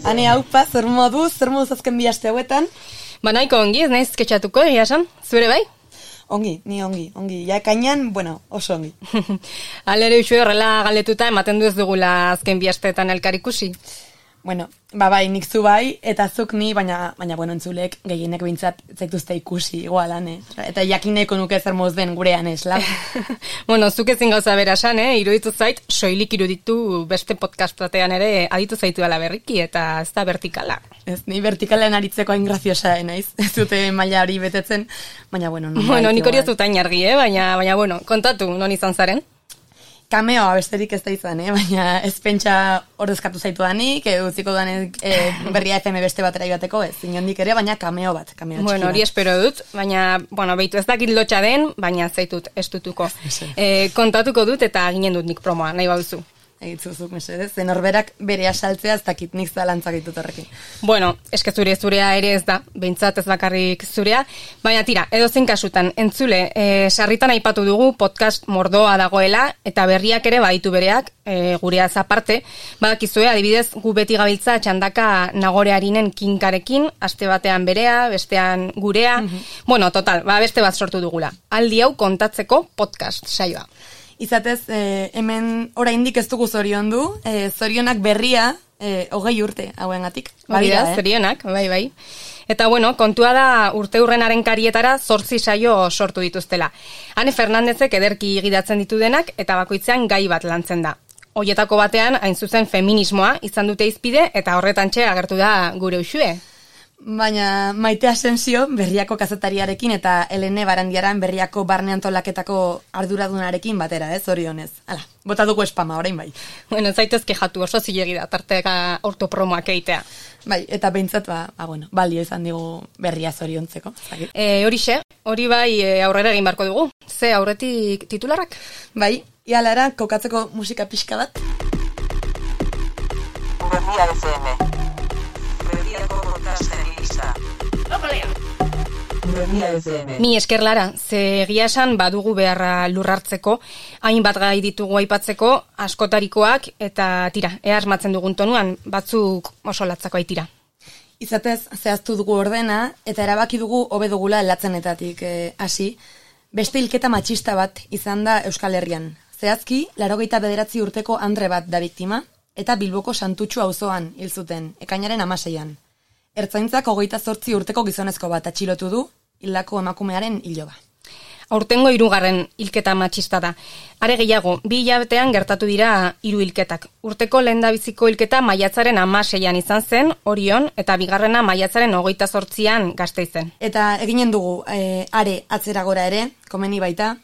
Hane haupa, zer moduz azken bi aste hauetan? Ba nahiko ongi, ez naiz ketxatuko, egia esan, zure bai? Ongi, ni ongi. Ja kainan, bueno, oso ongi. Alere usue horrela galdetuta ematen du ez dugula azken bi asteetan elkar ikusi. Bueno, bai, nik zu bai, eta zuk ni, baina bueno, entzulek gehienek behintzat zaituzte ikusi, igualan, Eta jakineko nuke zer moz den gurean esla. Bueno, zuk ezin gauza berasan, iruditu zait, soilik iruditu beste podcast batean ere aditu zaitu dela berriki, eta ez da vertikala. Ez, ni vertikalean aritzeko hain graziosa naiz, ez dute maila hori betetzen, baina bueno. Bueno, nik hori ez dut hain argi, baina bueno, kontatu, non izan zaren? Kameoa besterik ez da izan, baina ez pentsa ordezkatu zaitu danik, utziko danik Berria FM beste batera ibateko, ez inondik ere, baina kameo bat. Bueno, hori espero dut, baina, behitu ez dakit lotxa den, baina zaitut estutuko. Kontatuko dut eta ginen dut nik promoa, nahi baduzu. Egitzuzuk, mesedez, zen horberak bere asaltzea ez dakit nik zalantzak ditut horrekin. Bueno, eske zurea ere ez da, behintzat ez bakarrik zurea, baina tira, edozein kasutan, entzule, sarritan aipatu dugu podcast mordoa dagoela, eta berriak ere baditu bereak, gureaz aparte, badakizue, adibidez, gu beti gabiltza txandaka Nagore Arinen kinkarekin, aste batean berea, bestean gurea, bueno, total, beste bat sortu dugula. Aldi hau kontatzeko podcast saioa. Izatez, hemen oraindik ez dugu zoriondu, zorionak berria, 20 urte hauengatik. Hori da, zorionak, bai. Eta bueno, kontua da urte hurrenaren karietara 8 saio sortu dituztela. Ane Fernandezek ederki gidatzen ditu denak eta bakoitzean gai bat lantzen da. Hoietako batean, hain zuzen feminismoa izan dute izpide eta horretantxe agertu da gure usue. Baina Maite Asensio Berriako kazetariarekin eta Helene Barandiaran Berriako barne antolaketako arduradunarekin batera, zorionez. Hala, bota dugu espama, orain bai. Bueno, zaitez kejatu oso zilegi da, tarteka ortopromoak eitea. Bai, eta behintzat, balio izan digu Berria zoriontzeko. Hori bai aurrera egin barko dugu. Ze aurretik titularrak? Bai, ialara kokatzeko musika pixka bat. Berria FM. Berriako podcastari gisa. Mi esker Lara, ze egia esan badugu beharra lurrartzeko, hainbat gai ditugu aipatzeko, askotarikoak, eta tira, ea asmatzen dugun tonuan, batzuk oso latzako aitira. Izatez, zehaztu dugu ordena, eta erabaki dugu hobe dugula latzenetatik hasi, beste hilketa matxista bat izan da Euskal Herrian. Zehazki, 89 urteko Andre bat da biktima, eta Bilboko Santutxu auzoan hil zuten, ekainaren 16an. Ertzaintzak 28 urteko gizonezko bat atxilotu du, hildako emakumearen iloba. Aurtengo 3. hilketa matxista da. Are gehiago, 2 hilabetean gertatu dira 3 hilketak. Urteko lehendabiziko hilketa maiatzaren 16an izan zen, Orion, eta bigarrena maiatzaren 28an Gasteizen. Eta eginen dugu, are atzera gora ere, komeni baita,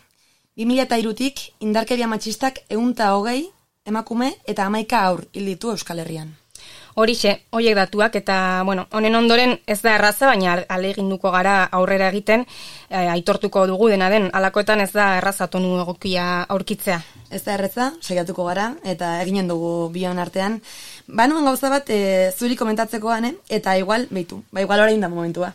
2003tik indarkeria matxistak 120 emakume eta 11 haur hil ditu Euskal Herrian. Horixe, horiek datuak, eta, honen ondoren ez da erraza, baina ahaleginduko gara aurrera egiten, aitortuko dugu dena den, halakoetan ez da erraza tonu egokia aurkitzea. Ez da erraza, saiatuko gara, eta eginen dugu bion artean. Nuen gauza bat, zuri komentatzekoan, eta igual orain da momentua.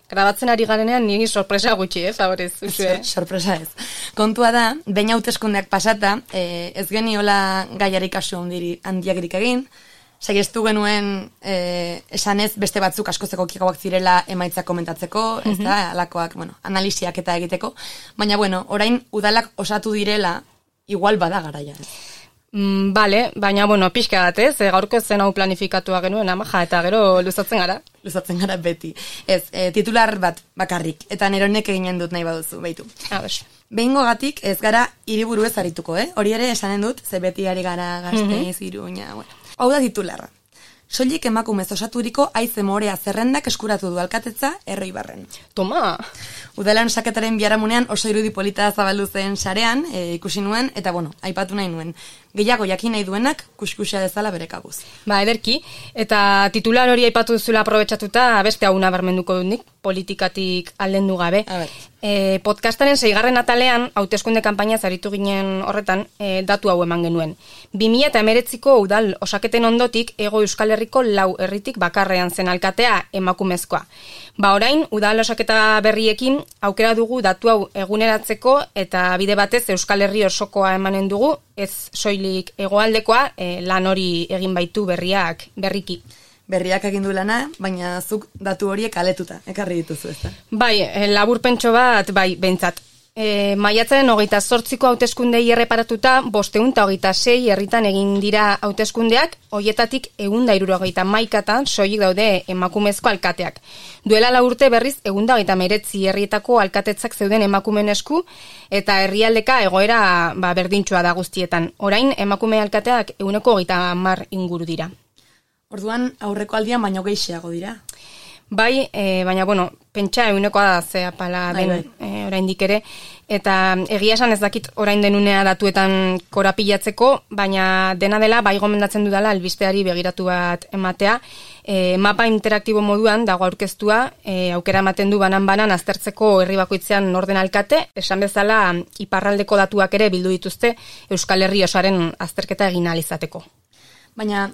Grabatzen ari garenean niri sorpresa gutxi, favorez, usue. Sorpresa ez. Kontua da, behin hauteskundeak pasata, ez geniola gaiari kasu handiagirik egin, saiestu genuen esanez beste batzuk askozeko kikauak zirela emaitzak komentatzeko, ez da, alakoak, analisiak eta egiteko, baina, orain udalak osatu direla, igual bada garaia. Bale, baina, pixka bat, ez? Gaurko zen hau planifikatua genuen, amaja, eta gero luzatzen gara. Luzatzen gara beti. Ez, titular bat bakarrik, eta neronek eginen dut nahi baduzu, behitu. Behingo gatik ez gara hiriburu ez arituko, hori ere esanen dut, ze beti ari gara Gasteiz, Iruña, Hau da titularra. Soilik emakumez osaturiko haize morea zerrendak eskuratu du alkatetza Erroibarren. Toma! Udalan saketaren biharamunean oso irudi polita zabaldu zen sarean, ikusi nuen, eta aipatu nahi nuen. Gehiago jakin nahi duenak, kuskusia dezala bere kabuz. Ederki, eta titular hori aipatu duzula aprobetxatuta, beste hau nabarmenduko dut nik, politikatik aldendu gabe. Podcastaren 6. atalean, hauteskunde kanpaina zaritu ginen horretan, datu hau eman genuen. 2019ko udal osaketen ondotik, Hego Euskal Herriko 4 herritik bakarrean zen alkatea emakumezkoa. Orain, udal osaketa berriekin, aukera dugu datu hau eguneratzeko, eta bide batez Euskal Herri osokoa emanen dugu, ez soilik hegoaldekoa, lan hori egin baitu berriak berriki. berriak egin du lana, baina zuk datu horiek aletuta, ekarri dituzu, ezta? Bai, laburpentxo bat, bai, behintzat. Maiatzaren 28ko hauteskundei erreparatuta 526 herritan egin dira hauteskundeak, hoietatik 171 soilik daude emakumezko alkateak. Duela 4 urte berriz 139 herrietako alkatetzak zeuden emakumeen esku eta herrialdeka egoera berdintsua da guztietan. Orain emakume alkateak 130 inguru dira. Orduan aurreko aldian baino gehiago dira. Bai, baina, pentsa egunekoa da zea pala den oraindik ere, eta egia esan ez dakit orain denunea datuetan korapilatzeko, baina dena dela bai gomendatzen dudala albisteari begiratu bat ematea, mapa interaktibo moduan dago aurkeztua, aukera ematen du banan-banan aztertzeko herri bakoitzean norden alkate, esan bezala iparraldeko datuak ere bildu dituzte Euskal Herri osoaren azterketa egin ahal izateko. Baina,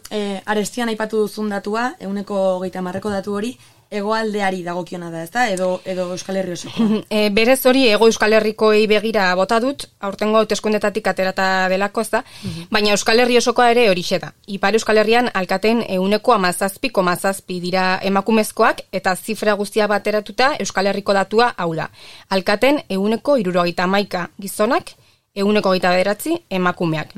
arestian aipatu duzun datua, 130ko datu hori, hegoaldeari dagokiona da, ezta? Edo Euskal Herri osoko. Berez hori hego Euskal Herrikoei begira bota dut, aurtengo hauteskundetatik aterata delako, ezta? Baina Euskal Herri osokoa ere horixe da. Ipar Euskal Herrian alkateen 17,7 dira emakumezkoak eta zifra guztia bateratuta Euskal Herriko datua hau da. Alkateen 71 gizonak, 129 emakumeak.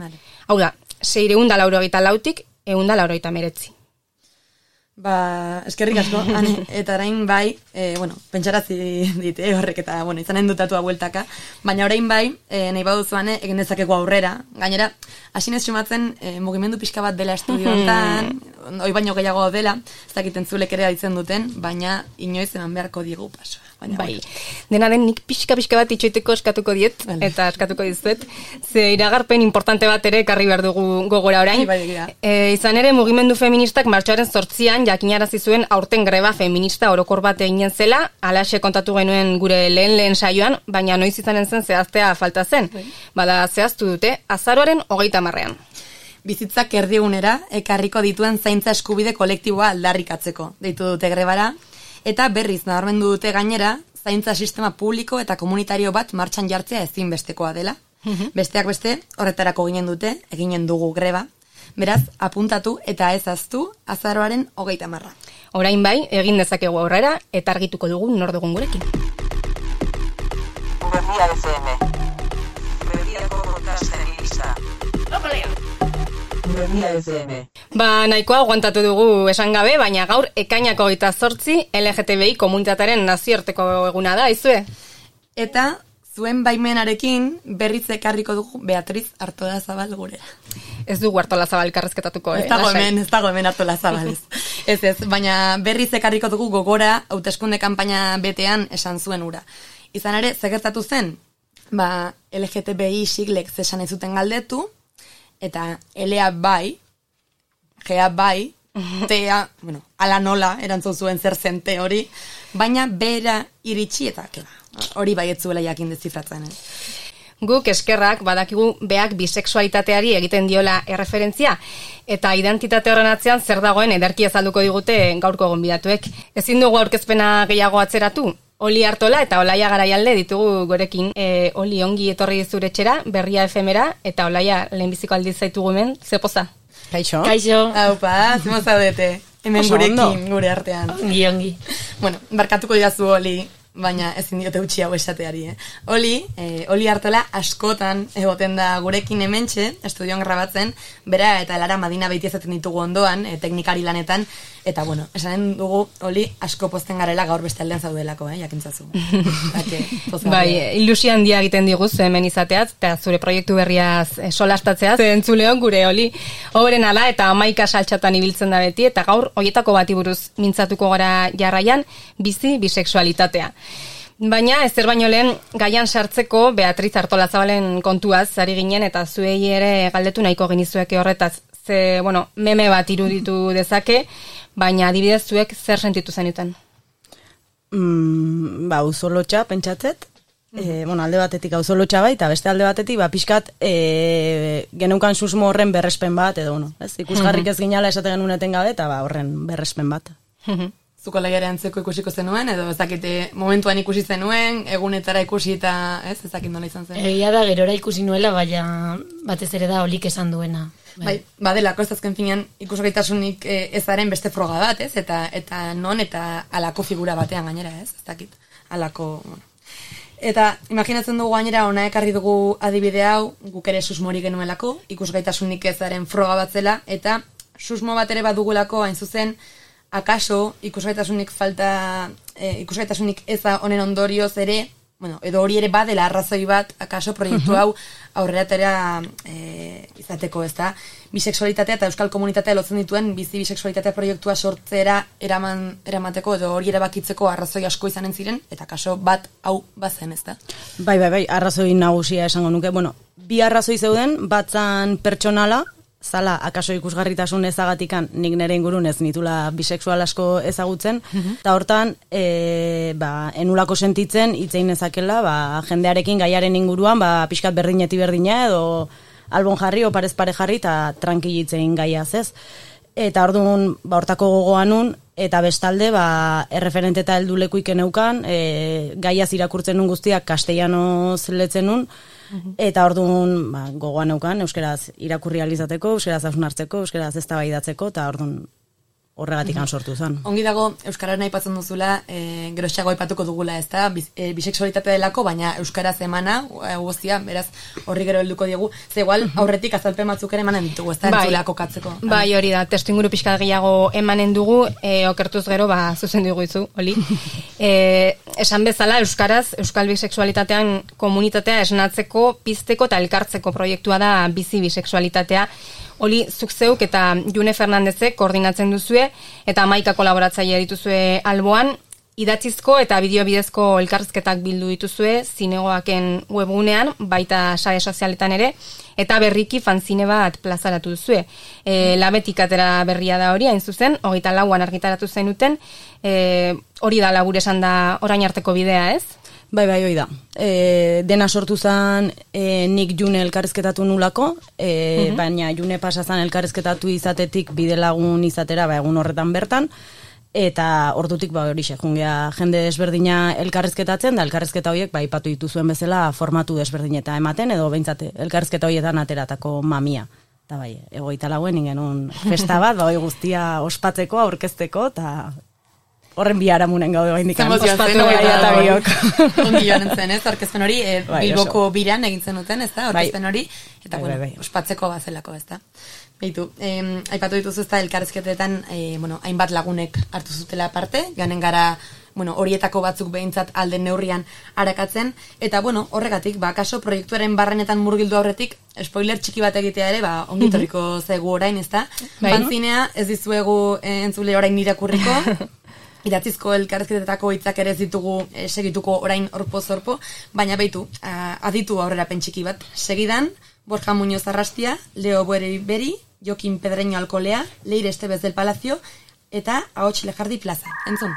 Hau da, 684tik 189. Eskerrik asko, Ane, eta orain bai, pentsarazi dit, horrek eta, izanen dutatua bueltaka, baina orain bai, nahi baduzu, Ane, egin dezakegu aurrera. Gainera, hasinez sumatzen, mugimendu pixka bat dela estudioetan, hoi baino gehiago dela, ez dakiten zulek ere ditzen duten, baina inoiz eman beharko diegu pasoa. Bai, dena den nik pixka bat itxoiteko eskatuko diet, eta eskatuko dizuet, ze iragarpen importante bat ere ekarri behar dugu gogora orain. Izan ere, mugimendu feministak martxoaren 8an jakinarazi zuen aurten greba feminista orokor bat eginen zela, alaxe kontatu genuen gure lehen saioan, baina noiz izanen zen zehaztea falta zen. Bada zehaztu dute, azaroaren 30ean. Bizitzak erdigunera, ekarriko dituen zaintza eskubide kolektiboa aldarrikatzeko, deitu dute grebara, eta berriz nabarmendu dute gainera, zaintza sistema publiko eta komunitario bat martxan jartzea ezinbestekoa dela. Besteak beste, horretarako eginen dugu greba. Beraz, apuntatu eta ez ahaztu azaroaren 30. Orain bai, egin dezakegu aurrera eta argituko dugu nor dugun gurekin. Berria FM. Berriako podcastari gisa. Berria FM. Nahikoa aguantatu dugu esan gabe, baina gaur ekainako 28 LGTBI komunitatearen nazioarteko eguna da, izue? Eta zuen baimenarekin berriz ekarriko dugu Beatriz Artolazabal gurera. Ez dugu Artolazabal karrezketatuko, Ez dago hemen Artolazabal ez. Ez, baina berriz ekarriko dugu gogora hauteskunde kanpaina betean esan zuen ura. Izan ere, zegertatu zen, LGTBI siglek zesan ez zuten galdetu, eta LA bai, GA bai, tea, ala nola erantzun zuen zer zen te hori, baina bera iritsi eta hori bai ez zuela jakin dezifratzen. Guk eskerrak badakigu beak bisexualitateari egiten diola erreferentzia, eta identitate horren atzean zer dagoen ederki azalduko digute gaurko gonbidatuek. Ezin dugu aurkezpena gehiago atzeratu, Oli Artola eta Olaia Garaialde ditugu gorekin. Oli ongi etorri zure etxera, Berria FM-era, eta Olaia lehenbiziko aldiz zaitugu hemen, ze poza? Kaixo. Haupa, zemo zaudete, hemen gurekin, gure artean. Ongi. Barkatuko didazu Oli, baina ezin diote utzi hau esateari. Oli Artola askotan egoten da gurekin hementxe, estudioan grabatzen, bera eta Lara Madina beti ezaten ditugu ondoan, teknikari lanetan, eta esanen dugu Oli asko pozten garela gaur beste aldean zaudelako, jakintzazu. Bai, ilusio handia egiten diguz hemen izateaz, eta zure proiektu berriaz solastatzeaz, entzuleon gure Oli, oberen ala eta 11 saltxatan ibiltzen da beti, eta gaur hoietako bati buruz mintzatuko gara jarraian, bizi bisexualitatea. Baina, ezer baino lehen, gaian sartzeko Beatriz Artolazabalen kontuaz ari ginen, eta zuei ere galdetu nahiko genizueke horretaz. Ze, meme bat iruditu dezake, baina adibidez zuek zer sentitu zenuten? Auzolotxa, pentsatzet. Alde batetik auzolotxa bai, eta beste alde batetik, pixkat, geneukan susmo horren berrespen bat, edo, ikusgarrik ez ginala esate genuen eten gabe, eta horren berrespen bat. zuko lehiare antzeko ikusiko zenuen, edo ezakite momentuan ikusi zenuen, egunetara ikusi eta ezakit nola izan zen. Egia da, gerora ikusi nuela, baina batez ere da Olik esan duena. Bai, badelako ez azken finean ikusgaitasunik ezaren beste froga bat, ez? Eta non eta alako figura batean gainera, ez? Ez dakit, alako... Bueno. Eta imaginatzen dugu gainera ona ekarri dugu adibide hau, guk ere susmori genuelako, ikusgaitasunik ezaren froga bat zela, eta susmo bat ere badugulako hain zuzen, akaso ikusgaitasunik falta, ikusgaitasunik eza honen ondorioz ere, bueno, edo hori ere badela arrazoi bat, akaso proiektu hau aurreratera izateko, ez da? Bisexualitatea eta euskal komunitatea lotzen dituen bizi bisexualitatea proiektua sortzera eramateko edo hori erabakitzeko arrazoi asko izanen ziren, eta kaso bat hau bazen, ez da? Bai, arrazoi nagusia esango nuke. Bueno, bi arrazoi zeuden, batzan pertsonala, zala, akaso ikusgarritasun ezagatikan nik nire ingurun ez nitula bisexual asko ezagutzen, eta hortan, enulako sentitzen itzein ezakela, jendearekin gaiaren inguruan, pixkat berdineti berdina edo albon jarri, oparez pare jarri, eta tranquilitzein gaiaz ez. Eta orduan, hortako gogoanun, eta bestalde, erreferente eta heldulekuik eneukan, gaiaz irakurtzen nun guztiak castellanoz letzen nun, eta orduan gogoan neukan, euskeraz irakurri alizateko, euskeraz hausnartzeko, euskeraz eztabaidatzeko, eta orduan horregatik sortu zen. Ongi dago, euskararen aipatzen duzula, geroxago aipatuko dugula, ez da, bisexualitatea delako, baina euskaraz emana, guztia, beraz, horri gero helduko diegu, ze igual, aurretik azalpen batzuk ere emanen ditugu, ez da, entzulea kokatzeko. Bai, hori da, testu inguru pixka gehiago emanen dugu, okertuz gero, zuzen dugu izu, Oli. Esan bezala, euskaraz, euskal bisexualitatean komunitatea esnatzeko, pizteko eta elkartzeko proiektua da bizi bisexualitatea. Oli, zuk zeuk eta June Fernandezek koordinatzen duzue eta 11 kolaboratzaile dituzue alboan, idatzizko eta bideo bidezko elkarrizketak bildu dituzue zinegoaken webgunean, baita sare sozialetan ere, eta berriki fanzine bat plazaratu duzue. Labetik atera berria da hori, hain zuzen, 24an argitaratu zenuten, hori da labur esan da orain arteko bidea, ez? Bai, hoi da. Dena sortu zen nik June elkarrizketatu nulako, baina June pasazan elkarrizketatu izatetik bidelagun izatera egun horretan bertan, eta ordutik hori jungea jende desberdina elkarrizketatzen, da elkarrizketa horiek ipatu dituzuen bezala formatu desberdineta ematen, edo behintzat elkarrizketa horietan ateratako mamia. Eta bai, 24 ingenun festa bat, hori guztia ospatzeko, aurkezteko, eta... Horren biharamunen gaude bain dikan. Ospatu eta biok. Ongi joan entzen, ez? Orkezpen hori, Bilboko biran egintzen duten, ez da? Orkezpen hori, eta ospatzeko bazelako, ez da? Beitu, aipatu dituzu ez da, elkarrezketetan, hainbat lagunek hartu zutela parte, joanen gara, horietako batzuk behintzat alden neurrian arakatzen, eta horregatik, kaso proiektuaren barrenetan murgildu aurretik, spoiler txiki bat egitea ere, ongitorriko zegu orain, ez da? Fanzinea, ez dizuegu entzule orain irakurriko, idatzizko elkarrezketetako hitzak ere ez ditugu segituko orain orpo-zorpo, baina beitu, aditu aurrera pentsiki bat. Segidan, Borja Muñoz Arrastia, Leo Beri, Jokin Pedreño Alkolea, Leire Estebez del Palacio, eta Ahots Lejardi Plaza. Entzun?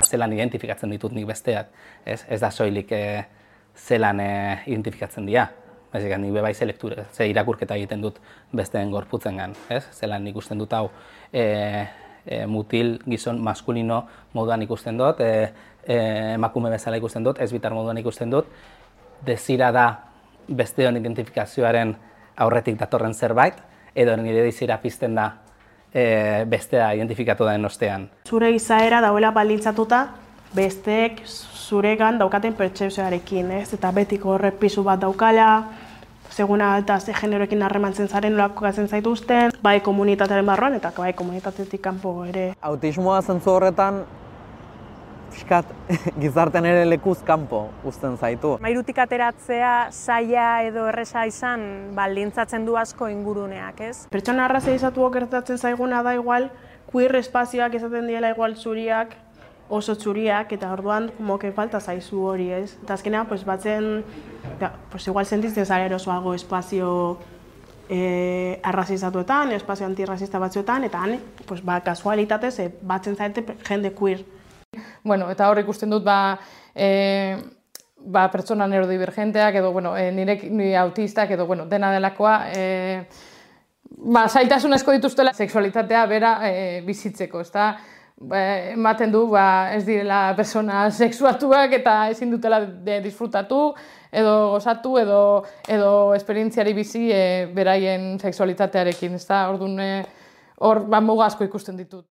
Zelan identifikatzen ditut nik besteak, ez da soilik zelan identifikatzen dira. Nik bebai ze irakurketa egiten dut besteen gorputzengan, zelan ikusten dut hau mutil, gizon, maskulino moduan ikusten dut, emakume bezala ikusten dut, ez bitar moduan ikusten dut, desira da besteon identifikazioaren aurretik datorren zerbait, edo nire desira pizten da bestea identifikatu den ostean. Zure izaera dauela baldintzatuta, besteek zuregan daukaten pertsepzioarekin, ez? Eta betiko horrek pisu bat daukala, seguna eta ze generoekin harremantzen zaren nolako gatzen zaituzten, bai komunitatearen barruan eta bai komunitatetik kanpo ere. Autismoa zentzu horretan, fiskat, gizartean ere lekuz kanpo uzten zaitu. Mairutik ateratzea saia edo erresa izan baldintzatzen du asko inguruneak, ez? Pertsona arrazizatuak gertatzen zaiguna da igual, queer espazioak izaten diela igual zuriak, oso txuriak, eta orduan moke falta zaizu hori, ez? Eta azkenean, batzen, igual sentitzen zara erosoago espazio arrazizatuetan, espazio antirrazista batzuetan, eta han, kasualitatez, batzen zaite jende queer. Eta hor ikusten dut, pertsona neurodivergenteak, edo, nire autistak, edo, dena delakoa, zailtasun asko dituztela sexualitatea bera bizitzeko, ez da? ematen du ez direla persona sexuatuak eta ezin dutela disfrutatu, edo gozatu, edo esperientziari bizi beraien sexualitatearekin, ez da? Orduan, hor muga asko ikusten ditut.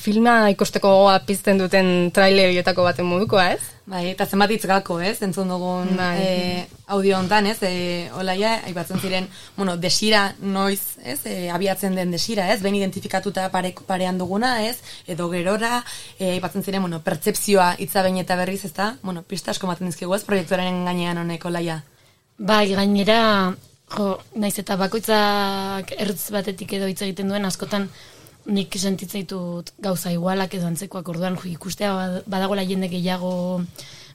Filma ikusteko gogoa pizten duten trailer horietako baten modukoa, ez? Bai, eta zenbat hitz gako, ez? Entzun dugun audio hontan, ez? Olaia, aipatzen ziren, desira noiz, ez? Abiatzen den desira, ez? Ben identifikatuta parean duguna, ez? Edo gerora, aipatzen ziren, pertzepzioa hitza behin eta berriz, ez da? Pista asko maten dizkigu, ez? Proiektuaren gainean honek, Olaia. Bai, gainera, naiz eta bakoitzak ertz batetik edo hitz egiten duen askotan nik sentitzen ditut gauza igualak edo antzekoak, orduan ikustea badagoela jende gehiago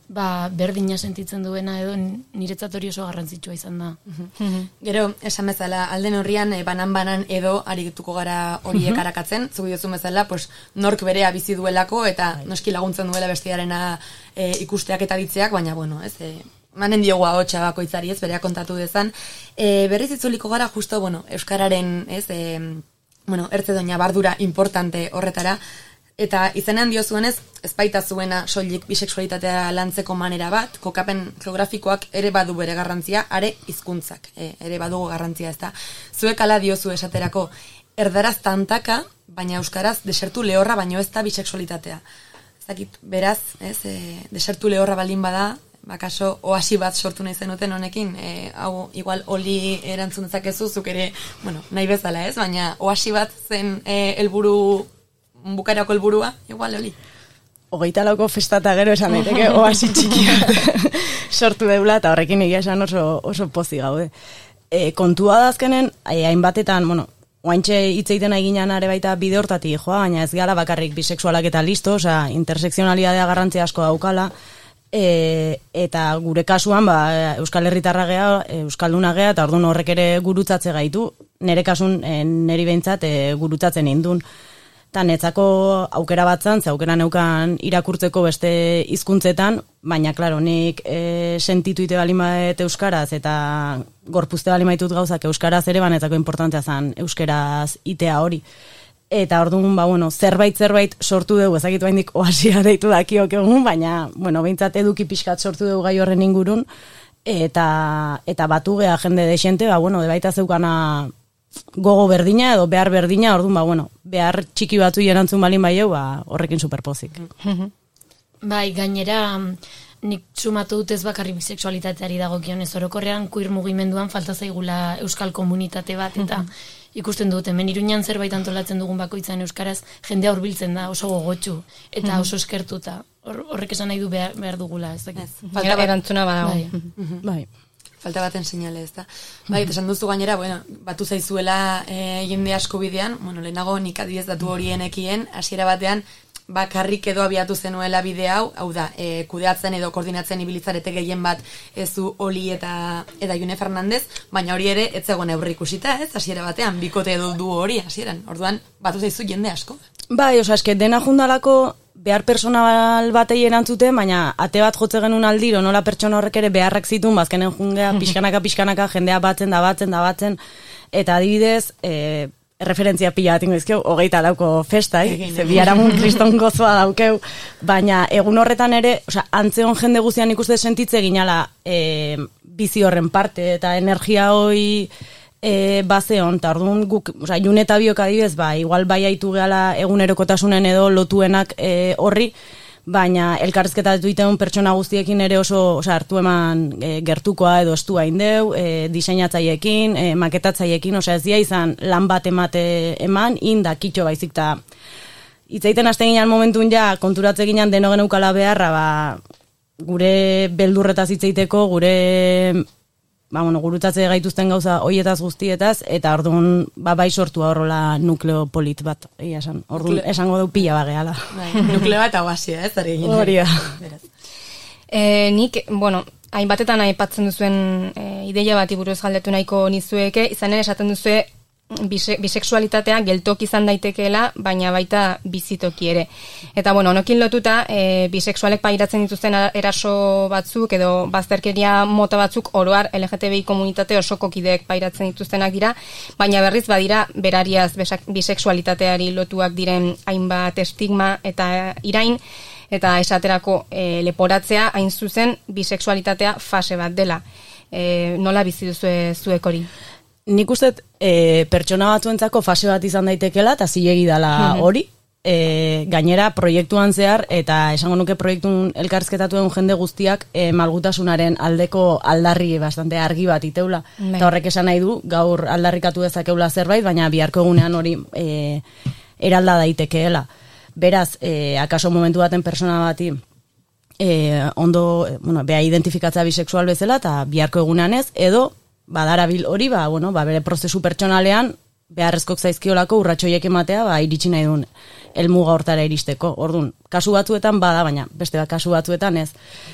berdina sentitzen duena edo niretzat hori oso garrantzitsua izan da. Gero, esan bezala, alden horrian banan-banan edo arituko gara horiek arakatzen, zugu diozu bezala, nork berea bizi duelako eta noski laguntzen duela bestiarena ikusteak eta ditzeak, baina, ez, manen diogu ahotsa bakoitzari, ez, berea kontatu dezan. Berriz itzuliko gara, justo, euskararen, ez, ertze doina bardura importante horretara, eta izenean diozuenez, ez baita zuena soilik bisexualitatea lantzeko manera bat, kokapen geografikoak ere badu bere garrantzia, are hizkuntzak ere badugu garrantzia, ez da. Zuek ala diozu esaterako, erdaraz tantaka, baina euskaraz desertu lehorra baino ez da bisexualitatea. Ez dakit, beraz, desertu lehorra baldin bada, bakaso oasi bat sortu nahi zenuten honekin, hau igual oli erantzun dezakezu, zuk ere, nahi bezala ez, baina oasi bat zen helburu, bukarako helburua, igual oli. 24ko festata gero esan daiteke oasi txikia sortu deula, eta horrekin egia esan oso pozi gaude. Kontua da azkenen, hainbatetan, oaintxe hitz egiten eginan are baita bide hortatik joa, baina ez gara bakarrik bisexualak eta listo, intersekzionalidadea garrantzia asko daukala, eta gure kasuan Euskal Herritarra gea, Euskalduna gea, eta orduan horrek ere gurutzatze gaitu, nire kasun niri behintzat gurutzatzen indun. Eta netzako aukera batzan, aukera neukan irakurtzeko beste hizkuntzetan, baina, klaro, nik sentitu ite balin badet euskaraz, eta gorpuzte balin baitut gauzak euskaraz ere, banetzako importantea zen euskaraz itea hori. Eta orduan, zerbait sortu dugu, ezakitu haindik oasia deitu dakiok egun, baina, behintzat eduki pixkat sortu dugu gai horren ingurun, eta batu geha jende desente, de baita zeukana gogo berdina edo behar berdina, orduan, behar txiki batzu erantzun balin bai horrekin superpozik. Bai, gainera, nik sumatu dut ez bakarrik bisexualitateari dagokionez, orokorrean queer mugimenduan falta zaigula euskal komunitate bat, eta ikusten dut, hemen Iruñan zerbait antolatzen dugun bakoitzan euskaraz, jendea hurbiltzen da, oso gogotsu, eta oso eskertuta. Horrek esan nahi du behar dugula, ez dakit. Erantzuna badago. Bai. Falta baten seinale, ez da. Bai, esan duzu gainera, batu zaizuela jende asko bidean, lehenago nik adibidez datu horienekien, hasiera batean, bakarrik edo abiatu zenuela bide hau da, kudeatzen edo koordinatzen ibilitzarete gehien bat zu Oli eta June Fernandez, baina hori ere ez zegoen aurre ikusita, ez, hasiera batean, bikote edo du hori hasieran, orduan batu zaizu jende asko. Bai, eske dena jundalako behar personal batei erantzute, baina ate bat jotze genuen aldiro, nola pertsona horrek ere beharrak zitun, bazkenen jungea pixkanaka, jendea batzen, eta adibidez, referentzia pila bat ingozkeu, 24ko festai, ze biharamun kriston gozoa daukeu, baina egun horretan ere, antzeon jende guztian ikuste sentitze ginala bizi horren parte, eta energia hoi bazeon, eta orduan guk, June eta Biok adibidez, igual bai haitu gehala egunerokotasunen edo lotuenak horri, baina elkarrizketa duiteun pertsona guztiekin ere oso hartu eman gertukoa edo estua indeu, diseinatzaiekin, maketatzaiekin, ez dia izan lan bat eman, inda kitxo baizik, eta hitzaiten hasten ginen momentun ja, konturatze ginen deno geneukala beharra, gure beldurretaz hitzaiteko, gure gurutzatze gaituzten gauza hoietaz guztietaz, eta orduan bai sortu horrela nukleo polit bat, esan. Orduan esango du pila bageala. Nukleo bat aguasia, ez? Hori da. Nik, hainbatetan aipatzen duzuen ideia bati buruz galdetu nahiko nizueke, izan ere esaten duzue bisexualitatea geltoki izan daitekeela, baina baita bizitoki ere. Eta bueno, honekin lotuta, bisexualek pairatzen dituzten eraso batzuk edo bazterkeria mota batzuk oroar LGTBI komunitate osoko kideek pairatzen dituztenak dira, baina berriz badira berariaz bisexualitateari lotuak diren hainbat estigma eta irain, eta esaterako leporatzea hain zuzen bisexualitatea fase bat dela. Nola bizi duzue zuek hori? Nik uste pertsona batzuentzako fase bat izan daitekela eta zilegi dela hori. Gainera proiektuan zehar eta esango nuke proiektun elkarrizketatuen jende guztiak malgutasunaren aldeko aldarri bastante argi bat iteula. Eta horrek esan nahi du gaur aldarrikatu dezakeula zerbait, baina biharko egunean hori eralda daitekeela. Beraz, akaso momentu baten persona bati ondo, beha identifikatza bisexual bezala eta biharko egunean ez, edo badarabil hori, bere prozesu pertsonalean beharrezkok zaizkiolako urratxoiek ematea, iritsi nahi duen helmuga hortara iristeko. Orduan, kasu batzuetan bada, baina beste kasu batzuetan ez.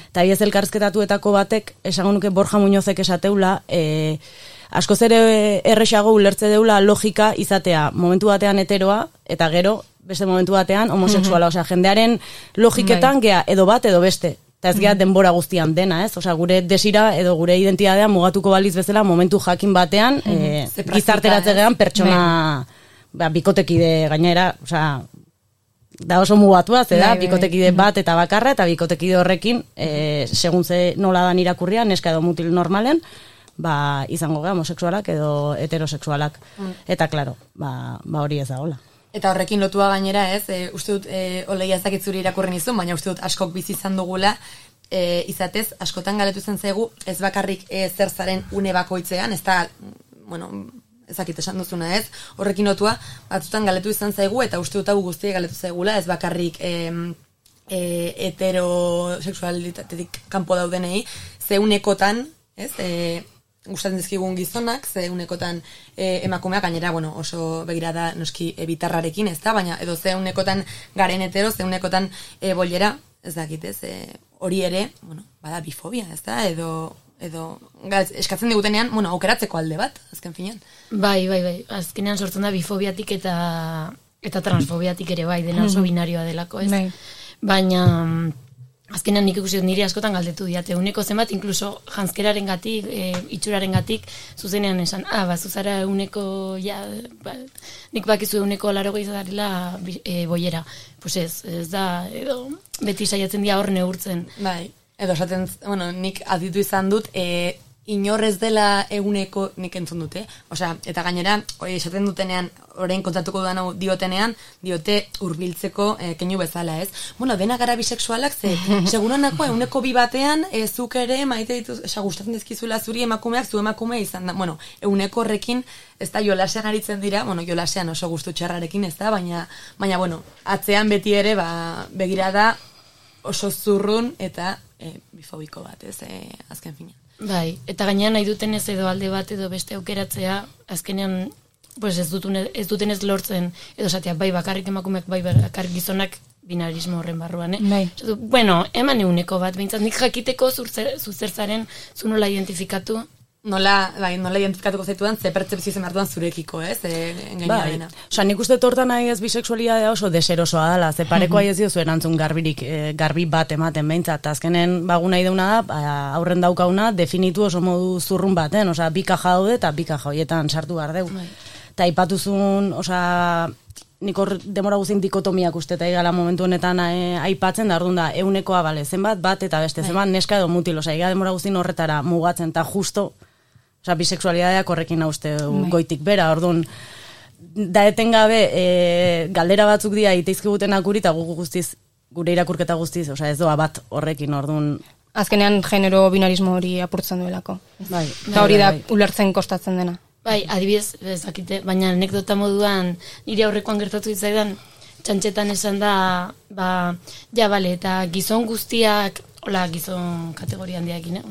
Eta ez elkarrizketatuetako batek, esango nuke Borja Muñozek esateula, askoz ere erresago ulertze deula logika izatea momentu batean heteroa, eta gero, beste momentu batean homosexuala, osea, jendearen logiketan gea edo bat edo beste. Eta ez gea denbora guztian dena, ez? Osea, gure desira edo gure identitatea mugatuko baliz bezala momentu jakin batean gizarteratze gean pertsona bikotekide gainera, osea, da oso mugatua, da bikotekide bat eta bakarra, eta bikotekide horrekin, segun ze nola dan irakurria, neska edo mutil normalen, izango gea homosexualak edo heterosexualak. Eta, klaro, hori ez da hola. Eta horrekin lotua gainera ez, uste dut, oleia ezakitzuri irakurri nizun, baina uste dut askok bizi izan dugula, izatez, askotan galetu zen zaigu, ez bakarrik zer zaren une bakoitzean, ez da, ezakit esan duzuna ez, horrekin lotua, batzutan galetu izan zaigu, eta uste dut hau guztiek galetu zaigula, ez bakarrik heterosexualitatetik kanpo daudenei, zeunekotan, ez, gustatzen dizkigun gizonak, ze unekotan emakumeak gainera, oso begirada noski bitarrarekin, ez da, baina edo ze unekotan garen hetero, ze unekotan bollera, ez dakit, ez, hori ere, bada bifobia, ez da, edo eskatzen digutenean, aukeratzeko alde bat, azken finean. Bai, azkenean sortzen da bifobiatik eta transfobiatik ere bai, dena oso binarioa delako, ez? Baina azkenean nik ikusi niri askotan galdetu diate, uneko zenbat, inkluso janzkeraren gatik, itxuraren gatik, zuzenean esan, zuzara uneko, nik bakizu uneko 80 izarela boiera. Pues ez da, edo beti saiatzen dira hor neurtzen. Bai, edo esaten, nik aditu izan dut, inorrez dela eguneko nik entzun dute. Osea, eta gainera, esaten dutenean, orain kontatuko dudan diotenean, diote hurbiltzeko keinu bezala, ez? Dena gara bisexualak, ze seguranako eguneko 2 batean, zuk ere maite dituz, gustatzen dizkizula zuri emakumeak, zu emakume izan da. Eguneko horrekin, ez da jolasean aritzen dira, jolasean oso gustu txarrarekin, ez da, baina, atzean beti ere, begirada oso zurrun eta bifobiko bat, ez, azken finean. Bai, eta gainean nahi dutenez edo alde bat edo beste aukeratzea, azkenean ez dutenez lortzen, edo esatea, bai bakarrik emakumeak, bai bakarrik gizonak binarismo horren barruan, eman eguneko bat, behintzat nik jakiteko zuzertzaren, zu nola identifikatu? Nola identifikatuko zaitudan, ze pertzepzio zen hartuan zurekiko, ez? Bai, nik uste tortan nahi ez bisexualidadea oso deserosoa dela, ze pareko ez dio zuen antzun garbi bat ematen behintzat, azkenen bagu nahi deuna da, aurren daukauna, definitu oso modu zurrun baten, bi kaja daude eta 2 kaja horietan sartu behar deu. Eta ipatuzun, nik hor demora guzin dikotomiak uste eta igala momentu honetan aipatzen, da orduan da, eunekoa, zenbat, bat eta beste, zenbat neska edo mutil, iga demora guzin horretara mugatzen, eta justo, bisexualidadeak horrekin hauste goitik bera, orduan, da etengabe galdera batzuk dira iteizkigutenak guri, eta gure irakurketa guztiz, ez doa bat horrekin, orduan. Azkenean genero binarismo hori apurtzen duelako. Eta hori da ulertzen kostatzen dena. Bai, adibidez, ezakite, baina anekdota moduan nire aurrekoan gertatu ditzaidan, txantxetan esan da, eta gizon guztiak, gizon kategoria handiakin,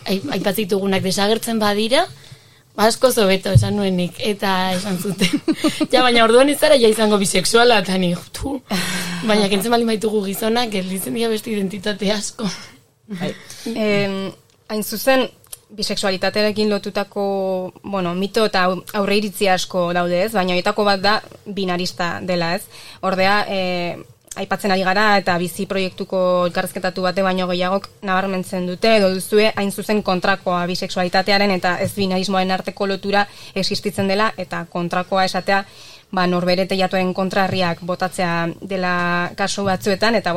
aipatzen ditugunak desagertzen badira, asko zobeto esan nuenik, eta esan zuten. Baina orduan ez zara izango bisexuala, eta ni, baina kentzen bali maitugu gizonak, gelditzen dira beste identitate asko. Hain zuzen, bisexualitatearekin lotutako, mito eta aurreiritzi asko daude, ez? Baina horietako bat da binarista dela, ez? Ordea, aipatzen ari gara eta bizi proiektuko elkarrizketatu bate baino gehiagok nabarmentzen dute edo duzue hain zuzen kontrakoa bisexualitatearen eta ez binarismoaren arteko lotura existitzen dela eta kontrakoa esatea norbere teiatuaren kontrarriak botatzea dela kasu batzuetan eta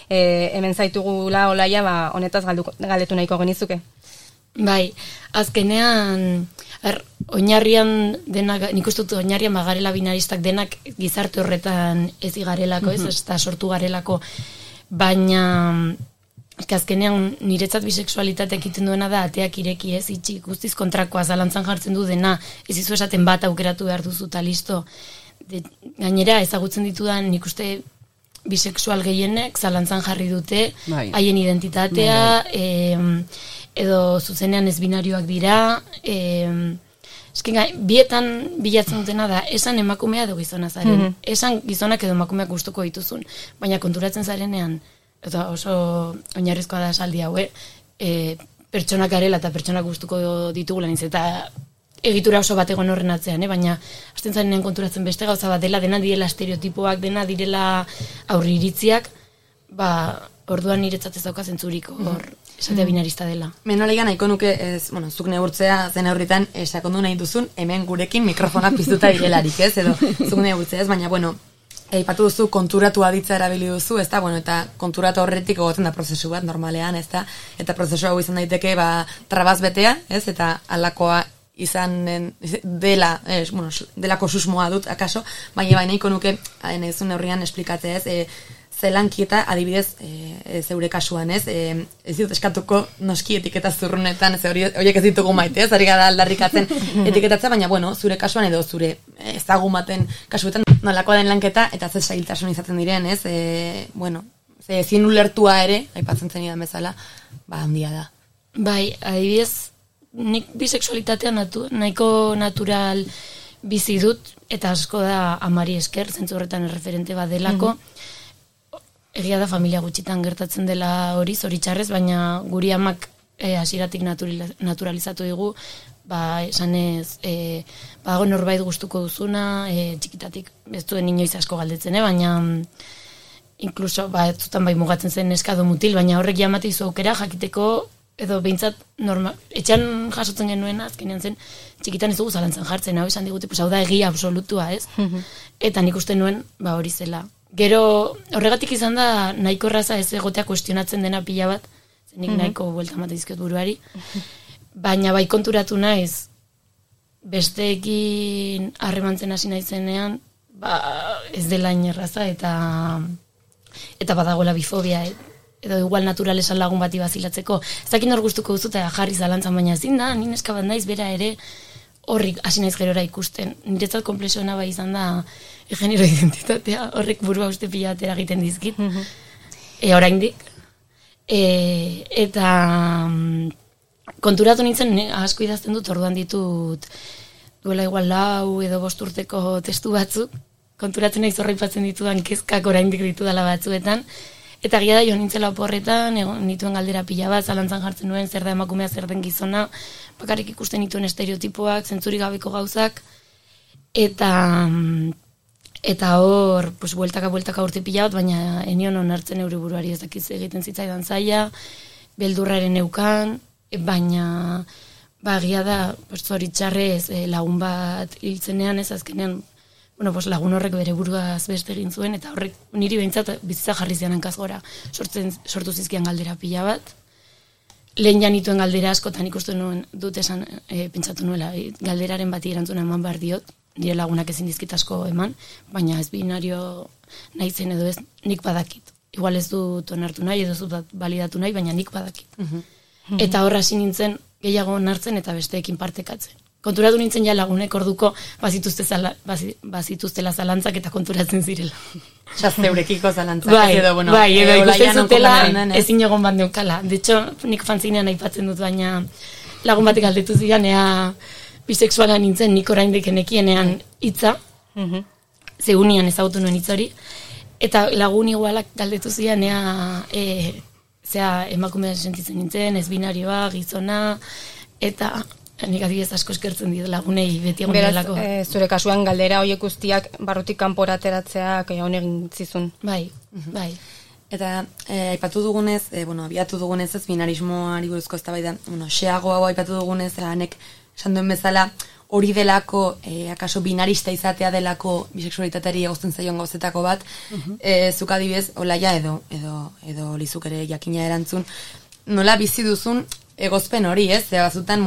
hemen zaitugula Olaia honetaz galdetu nahiko genizuke. Bai, azkenean oinarrian denak, nik uste dut oinarrian garela binaristak denak gizarte horretan ez igarelako, ez da sortu garelako, baina azkenean niretzat bisexualitateak egiten duena da ateak ireki, ez itxi guztiz kontrakoa zalantzan jartzen du dena, ez izu esaten bat aukeratu behar duzu eta listo. Gainera ezagutzen ditudan nik uste bisexual gehienek zalantzan jarri dute haien identitatea, edo zuzenean ez binarioak dira, bietan bilatzen dutena da, esan emakumea edo gizona zaren, esan gizonak edo emakumeak gustuko dituzun, baina konturatzen zarenean, eta oso oinarrizkoa da esaldi hau, pertsonak garela eta pertsonak gustuko ditugula nintzen, eta egitura oso bat egon horren atzean, baina hasten zarenean konturatzen beste gauza bat dela, dena direla estereotipoak, dena direla aurriritziak, orduan niretzat ez dauka zentzurik hor esatea binarista dela. Menolegan nahiko nuke, zuk neurtzea zen aurritan sakondu nahi duzun, hemen gurekin mikrofonak piztuta direlarik, ez? Edo zuk neurtzea ez, baina, aipatu duzu konturatu aditza erabili duzu, ez da, eta konturatu horretik egoten da prozesu bat normalean, ez da, eta prozesu hau izan daiteke, trabaz betea, ez, eta alakoa izan dela, delako susmoa dut, akaso, baina nahiko nuke, nahi duzun neurrian esplikatzea, ez, zelankieta, adibidez, zeure kasuan, ez dut eskatuko noski etiketa zurrunetan, horiek ez ditugu maite, ez, ari gara aldarrikatzen etiketatzea, baina, zure kasuan edo zure ezagun baten kasuetan, nolakoa den lanketa, eta ze zailtasun izaten diren, ez, ze ezin ulertua ere, aipatzen zenidan bezala, handia da. Bai, adibidez, nik bisexualitatea nahiko natural bizi dut, eta asko da amari esker, zentzu horretan erreferente bat delako, egia da familia gutxitan gertatzen dela hori, zoritxarrez, baina guri amak hasieratik naturalizatu digu, esanez, norbait gustuko duzuna, txikitatik ez duen inoiz asko galdetzen, baina inkluso, ez zutan mugatzen zen eskado mutil, baina horrek jamate izu aukera jakiteko, edo behintzat etxean jasotzen genuen azkenean zen, txikitan ez dugu zalantzan jartzen, hau esan digute, hau da egia absolutua, ez? Eta nik uste nuen, hori zela. Gero, horregatik izan da, nahiko erraza ez egotea kuestionatzen dena pila bat, zenik nahiko buelta mate dizkiot buruari, baina bai konturatu naiz, besteekin harremantzen hasi naizenean, ez dela inerraza, eta badagoela bifobia, edo igual natural esan lagun bati bazilatzeko. Ez dakit nor gustuko duzu eta jarri zalantzan, baina ezin da, ni neska bat naiz bera ere horrik hasi naiz gerora ikusten. Niretzat konplexuena bai izan da genero identitatea, horrek burua uste pila batera egiten dizkit. Oraindik. Eta konturatu nintzen, asko idazten dut, orduan ditut duela igual 4 edo 5 urteko testu batzuk, konturatzen naiz horreipatzen ditudan kezkak oraindik ditudala batzuetan, eta gira da jo nintzela oporretan, nituen galdera pila bat, zalantzan jartzen nuen, zer da emakumea, zer den gizona, bakarrik ikusten nituen estereotipoak, zentzurik gabeko gauzak, eta hor, bueltaka urte pila bat, baina enion onartzen eure buruari ez dakiz egiten zitzaidan zaila, beldurraren eukan, baina gira da, zoritxarrez lagun bat hiltzenean ez azkenean, lagun horrek bere buruaz beste egin zuen, eta horrek niri behintzat bizitza jarri zian hankaz gora. Sortu zizkian galdera pila bat. Lehen janituen galdera askotan ikusten nuen dut esan, pentsatu nuela, galderaren bati erantzuna eman behar diot, nire lagunak ezin dizkit asko eman, baina ez binario nahi zen edo ez, nik badakit. Igual ez dut onartu nahi, edo ez dut balidatu nahi, baina nik badakit. Eta horra hasi nintzen gehiago onartzen eta besteekin partekatzen. Konturatu nintzen ja lagunek orduko bazituztela zalantzak eta konturatzen zirela. Zeurekiko zalantzak. Bai, edo ikusten zutela ezin egon bat neukala. De hecho, nik fanzinean aipatzen dut, baina lagun batek galdetu zidan, ea bisexuala nintzen, nik oraindik nekienean hitza, zegunian ezagutu nuen hitz hori, eta lagun igualak galdetu zidan, ea emakumea sentitzen nintzen, ez binarioa, gizona, eta nik adibidez asko eskertzen dit lagunei beti egon Beraz, delako. Zure kasuan galdera horiek guztiak barrutik kanpora ateratzeak on egin zizun. Bai. Eta aipatu dugunez, abiatu dugunez ez binarismoari buruzko eztabaida, xeago hau aipatu dugunez, hanek esan duen bezala, hori delako, akaso binarista izatea delako bisexualitateari egozten zaion gauzetako bat, zuk adibidez, olaia edo lizuk ere jakina erantzun, nola bizi duzun egozpen hori, ez? Bazutan,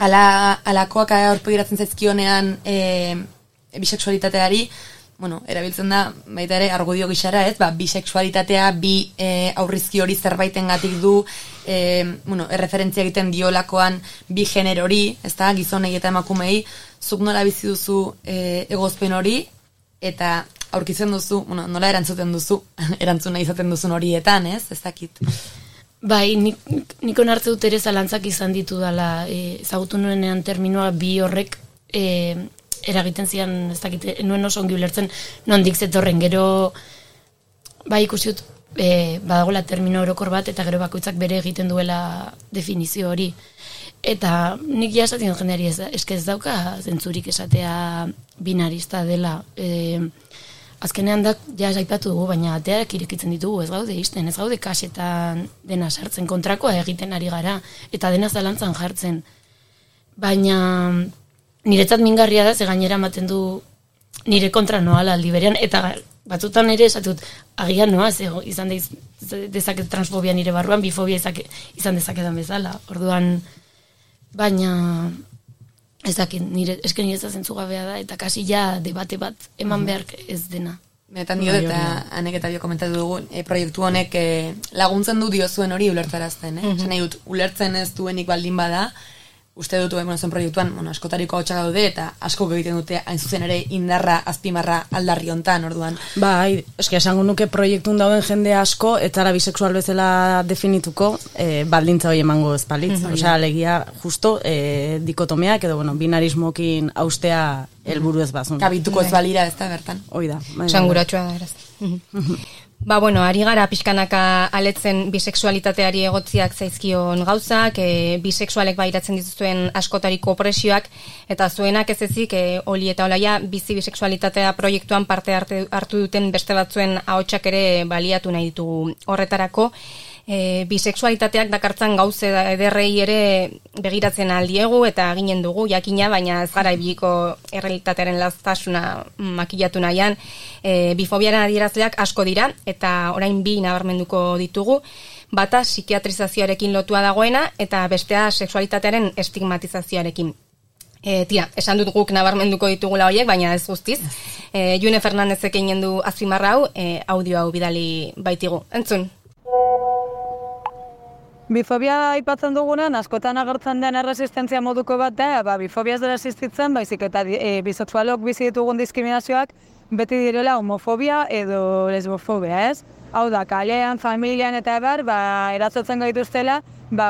alakoak aurpegiratzen zaizkionean bisexualitateari, erabiltzen da, baita ere, argudio gixara, ez? Bisexualitatea, aurrizki hori zerbaitengatik du, erreferentzia egiten diolakoan bi generori, ez da, gizonei eta emakumei, zuk nola bizi duzu egozpen hori, eta aurkitzen duzu, nola erantzuten duzu, erantzuna izaten duzun horietan, ez? Ez dakit. Bai, nik onartze dut ere zalantzak izan ditu dela, ezagutu nuenean terminoa bi horrek eragiten zian, ez dakit, nuen oso ongi ulertzen nondik zetorren, gero bai ikusiut badagoela termino orokor bat, eta gero bakoitzak bere egiten duela definizio hori. Eta nik ja esaten jendeari ez dauka zentzurik esatea binarista dela. Azkenean da, ja aipatu dugu, baina ateak irekitzen ditugu, ez gaude isten, ez gaude kasetan dena sartzen, kontrakoa egiten ari gara, eta dena zalantzan jartzen. Baina niretzat mingarria da, ze gainera ematen du nire kontra noala aldi berean, eta batzutan ere esatut, agian noa, izan dezaket transfobia nire barruan, bifobia izan dezaketan bezala. Orduan, baina ez dakit, esken ez da zentzugabea da, eta kasi ja debate bat eman behar ez dena. Benetan dio, eta anek eta bio komentatu dugu, proiektu honek laguntzen du diozuen hori ulertzarazten, Esan nahi dut, ulertzen ez duenik baldin bada, uste dut, zen proiektuan, askotariko hau txaka daude, eta asko egiten dute, hain zuzen ere, indarra, azpimarra aldarri hontan, orduan. Bai, eski esango nuke proiektun dauden jende asko, etzara bisexual bezala definituko, baldintza hori emango ezpalitz. Osea, alegia, justo, dikotomeak, edo, binarismokin austea helburu ez bazun. Kabituko ez balira, ez da, bertan. Hoi da. Sanguratxoa da, eraz. Ari gara pixkanaka aletzen bisexualitateari egotziak zaizkion gauzak, bisexualek bairatzen dituzuen askotariko opresioak, eta zuenak ez ezik, Oli eta Olaia, bizi bisexualitatea proiektuan parte hartu duten beste batzuen ahotsak ere baliatu nahi ditugu horretarako. Bisexualitateak dakartzan gauze ederrei ere begiratzen aldiegu eta ginen dugu jakina, baina ez gara ibiliko errealitatearen laztasuna makillatu nahian. Bifobiaren adierazleak asko dira eta orain bi nabarmenduko ditugu, bata psikiatrizazioarekin lotua dagoena eta bestea sexualitatearen estigmatizazioarekin. Esan dut guk nabarmenduko ditugula horiek, baina ez guztiz. June Fernandezek egin du azpimarra hau, audio hau bidali baitigu. Entzun. Bifobia aipatzen dugunan, askotan agertzen den erresistentzia moduko bat da, bifobia ez dela existitzen, baizik eta bisexualok bizi ditugun diskriminazioak beti direla homofobia edo lesbofobia, ez? Hau da, kalean, familian eta ebar, eratzotzen gaituztela,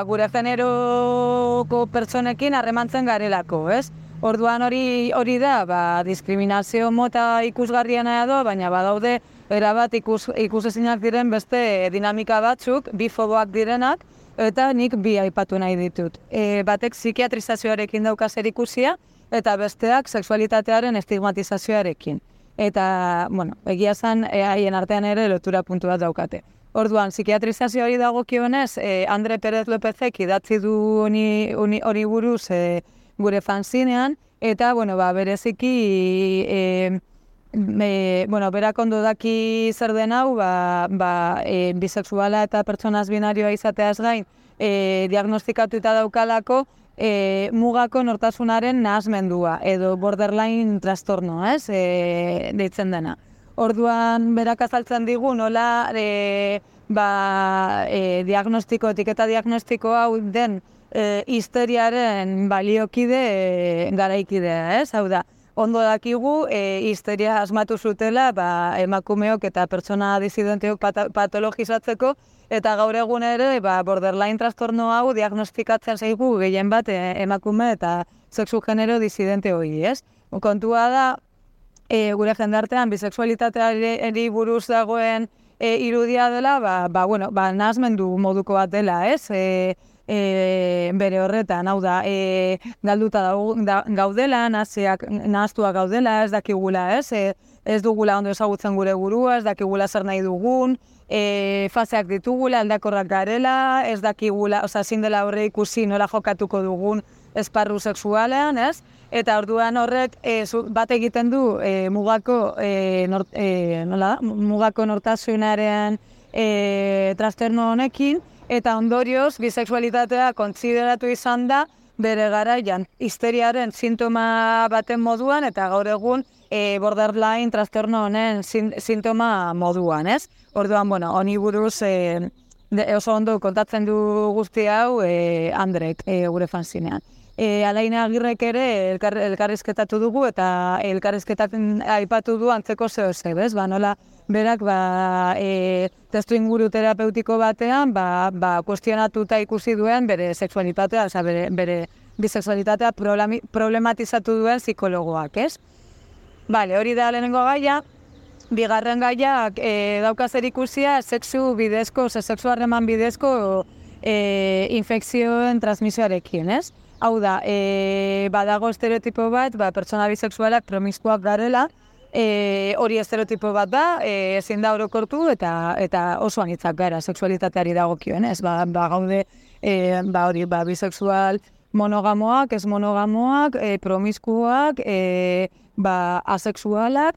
gure generoko pertsonekin harremantzen garelako, ez? Orduan hori da, diskriminazio mota ikusgarriena edo, baina badaude erabat ikusezinak diren beste dinamika batzuk, bifoboak direnak, eta nik bi aipatu nahi ditut. Batek psikiatrizazioarekin dauka zerikusia, eta besteak sexualitatearen estigmatizazioarekin. Eta, egia zan, haien artean ere lotura puntu bat daukate. Orduan, psikiatrizazioari dagokionez, Andre Pérez Lópezek idatzi du hori buruz gure fanzinean, eta, bereziki, berak ondo daki zer den hau, bisexuala eta pertsonaz binarioa izateaz gain, diagnostikatuta daukalako, mugako nortasunaren nahasmendua, edo borderline trastorno, deitzen dena. Orduan, berak azaltzen digu, nola etiketa diagnostiko hau den histeriaren baliokide garaikidea, hau da. Ondo dakigu, histeria asmatu zutela emakumeok eta pertsona disidenteok patologizatzeko, eta gaur egun ere borderline trastorno hau diagnostikatzen zaigu gehien bat emakume eta sexu genero disidente hori, ez? Kontua da, gure jendartean bisexualitateari buruz dagoen irudia dela, nahasmendu moduko bat dela, ez? bere horretan, hau da, galduta gaudela, nahaztuak gaudela, ez dakigula, ez dugula ondo ezagutzen gure burua, ez dakigula zer nahi dugun, faseak ditugula, aldakorrak garela, ez dakigula, ezin dela horre ikusi nola jokatuko dugun esparru sexualean, ez? Eta orduan horrek bat egiten du mugako nortasunaren trastorno honekin, eta ondorioz bisexualitatea kontsideratu izan da bere garaian histeriaren sintoma baten moduan eta gaur egun borderline trastorno honen sintoma moduan, ez? Orduan, bueno, honi buruz oso ondo kontatzen du guzti hau Andrek gure fanzinean. Alaina Agirrek ere elkarrizketatu dugu eta elkarrizketatzen aipatu du antzeko zehose, bez? Nola berak testu inguru terapeutiko batean kuestionatuta ikusi duen bere sexualitatea, bere bisexualitatea problematizatu duen psikologoak, ez? Bale, hori da lehenengo gaia. Bigarren gaiak dauka zer ikusia sexu harreman bidezko infekzioen transmisioarekin, ez? Hau da, badago estereotipo bat, pertsona bisexualak promiskuak garela, hori estereotipo bat da, ezin da orokortu eta oso anitzak gara sexualitateari dagokioen, ez? Gaude, bisexual monogamoak, ez monogamoak, promiskuak, asexualak,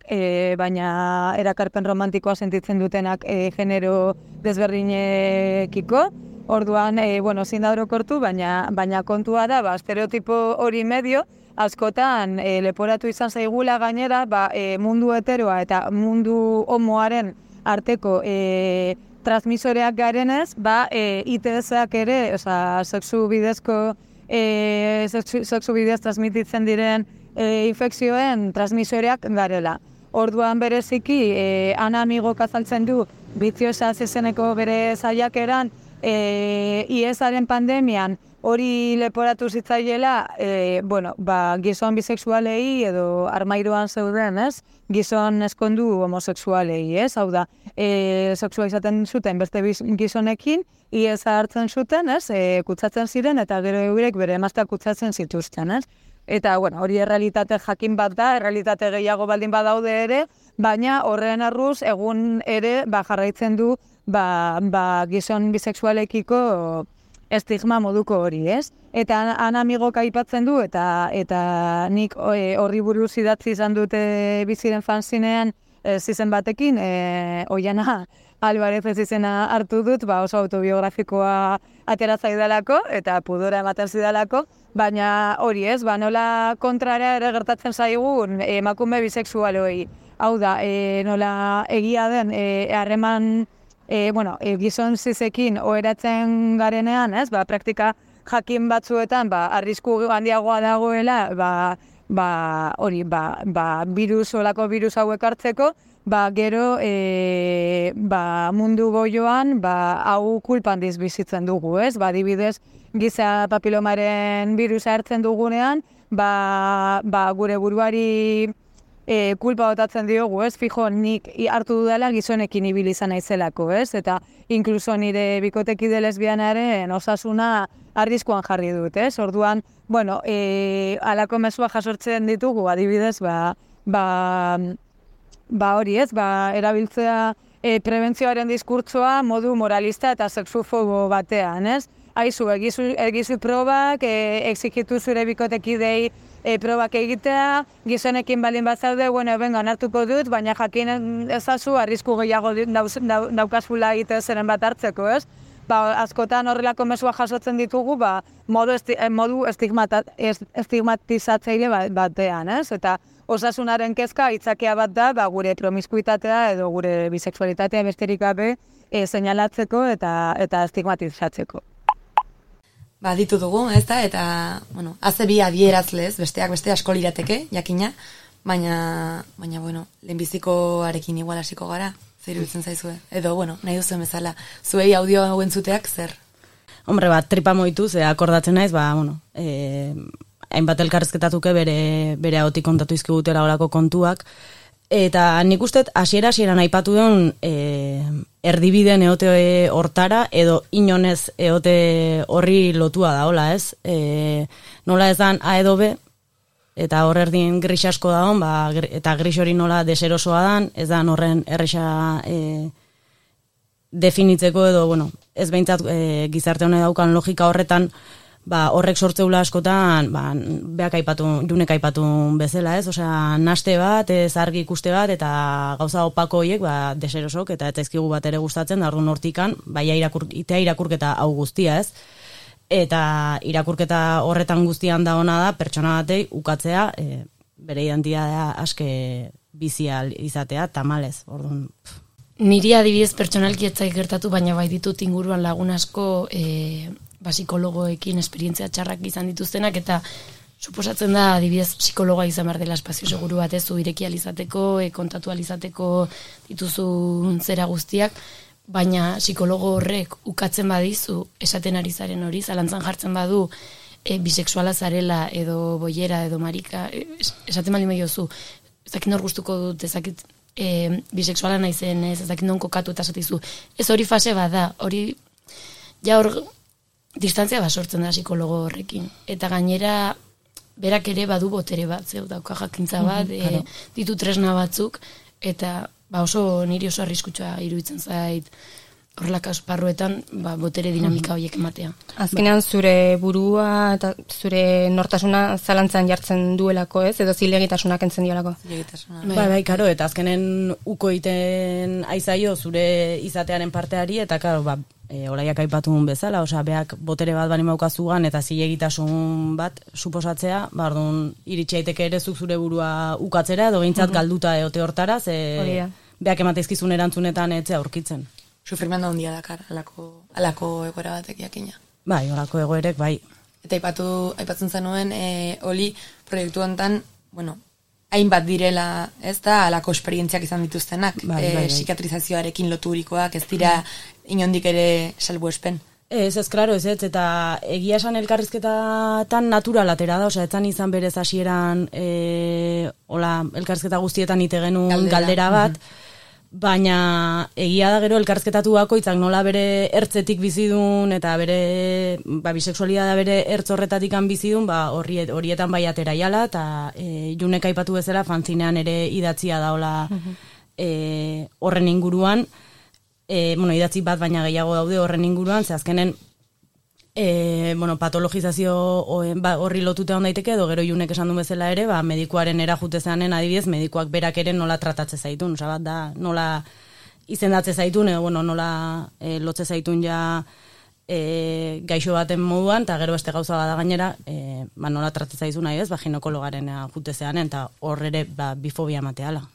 baina erakarpen romantikoa sentitzen dutenak genero desberdinekiko. Orduan, ezin da orokortu, baina kontua da, estereotipo hori medio, askotan leporatu izan zaigula gainera, mundu heteroa eta mundu homoaren arteko transmisoreak garenez, ITS-ak ere, sexu bidez transmititzen diren infekzioen transmisoreak garela. Orduan bereziki, Ana Amigok azaltzen du, Biziosa izeneko bere saiakeran, IS-aren pandemian hori leporatu zitzaiela, gizon bisexualei edo armairuan zeuden, ez? Gizon eskondu homosexualei, ez? Hau da, sexualizaten zuten beste gizonekin, IS-a hartzen zuten, ez? Kutsatzen ziren eta gero eurek bere emazteak kutsatzen zituzten, ez? Eta, hori errealitate jakin bat da, errealitate gehiago baldin badaude ere, baina horren arruz egun ere jarraitzen du gizon bisexualekiko estigma moduko hori, ez? Eta Ana Amigok aipatzen du, eta nik horri buruz idatzi izan dute biziren fanzinean zizen batekin, Oiana Alvarez ez izena hartu dut, oso autobiografikoa atera zaidalako, eta pudora ematen zidalako, baina hori ez, nola kontrara ere gertatzen zaigun emakume bisexualoi. Hau da, nola egia den, harreman gizon zizekin oheratzen garenean, ez? Praktika jakin batzuetan, arrisku handiagoa dagoela, olako virus hauek hartzeko, gero mundu goioan, hau kulpandiz bizitzen dugu, ez? Adibidez, giza papilomaren virusa hartzen dugunean, gure buruari kulpa botatzen diogu, ez? Fijo, nik hartu dudala gizonekin ibili izan naizelako, ez? Eta inkluso nire bikotekide lesbianaren osasuna arriskuan jarri dut, ez? Orduan, halako mezua jasortzen ditugu, adibidez, hori, ez? Erabiltzea prebentzioaren diskurtsoa modu moralista eta sexufobo batean, ez? Aizu, egizu probak, exigitu zure bikotekidei probak egitea, gizonekin baldin bat zaude, hartuko dut, baina jakin ezazu arrisku gehiago daukazula egitea zeren bat hartzeko, ez? Askotan horrelako mesua jasotzen ditugu, modu estigmatizatzaile batean, ez? Eta osasunaren kezka itzakia bat da, gure promiskuitatea edo gure bisexualitatea besterik gabe seinalatzeko eta estigmatizatzeko. Ditu dugu, ez da, eta, haze bi adierazlez, besteak beste asko lirateke, jakina, baina, lehenbizikoarekin igual hasiko gara, zer iruditzen zaizue, edo, nahi duzuen bezala, zuei audio hauen zuteak, zer? Hombre, tripa moitu, ze akordatzen naiz, hainbat elkarrezketatuke bere ahotik kontatu izkigutela horako kontuak, eta nik uste hasieran aipatu duen erdibiden eote hortara, edo inonez eote horri lotua da, hola ez? Nola ez dan A edo B, eta hor erdin gris asko da hon, eta gris hori nola deserosoa dan, ez dan horren erresa definitzeko edo, bueno, ez behintzat gizarte honek daukan logika horretan, horrek sortzeula askotan, junek aipatu bezala, ez? Osea, naste bat, ez argi ikuste bat, eta gauza opako horiek, deserosok, eta ez zaizkigu bat ere gustatzen, da orduan hortikan, itea irakurketa hau guztia, ez? Eta irakurketa horretan guztian da ona da, pertsona batei ukatzea, bere identitatea aske bizial izatea, tamalez, orduan. Niri adibidez pertsonalki ez zait gertatu, baina bai ditut inguruan lagun asko psikologoekin esperientzia txarrak izan dituztenak, eta suposatzen da adibidez psikologoa izan behar dela espazio seguru bat, ez, ireki alizateko, kontatu alizateko dituzun zera guztiak, baina psikologo horrek ukatzen badizu esaten ari zaren hori, zalantzan jartzen badu bisexuala zarela edo boiera edo marika, esaten baldin behiozu, ezakit nor gustuko dut, ezakit bisexuala naizen, ezakit non kokatu eta esatizu. Ez hori fase bada, hori ja hor distantzia sortzen da psikologo horrekin. Eta gainera berak ere badu botere bat, zeu dauka jakintza bat, ditu tresna batzuk, eta niri oso arriskutsua iruditzen zait horrelako esparruetan botere dinamika horiek ematea. Azkenean zure burua eta zure nortasuna zalantzan jartzen duelako, ez? Edo zilegitasunak entzen diolako? Bai, karo, eta azkenen uko iten aizaio zure izatearen parteari, eta karo, olaiak aipatun bezala, osea, beak botere bat bani maukazugan eta zilegitasun bat suposatzea, orduan iritsi daiteke ere zuk zure burua ukatzera, edo behintzat galduta eote hortara, beak emateizkizun erantzunetan etzea aurkitzen. Sufrimendu handia dakar, alako egoera batek jakina. Bai, alako egoerek, bai. Eta aipatzen zenuen, oli proiektu honetan, hainbat direla, ez da, alako esperientziak izan dituztenak, psikatrizazioarekin loturikoak, ez dira inondik ere salbuespen. Ez, klaro, ez, eta egia esan elkarrizketatan naturalatera da, osea, etzan izan berez hasieran elkarrizketa guztietan ite genuen galdera bat, baina egia da gero elkarrizketatu bakoitzak nola bere ertzetik bizidun eta bere bisexualidadea bere ertz horretatik bizidun, horietan bai atera jala, eta Junek aipatu bezala fanzinean ere idatzia daola horren inguruan, idatzi bat baina gehiago daude horren inguruan, ze azkenen patologizazio horri lotuta hon daiteke, edo gero Junek esan du bezala ere, medikuaren erajutezanen adibidez, medikuak berak ere nola tratatze zaitun, oza bat da, nola izendatze zaitun, edo nola lotze zaitun ja gaixo baten moduan, eta gero beste gauza bada gainera, nola tratatze zaitun nahi ez, ginekologaren erajutezanen, eta hor ere bifobia mateala.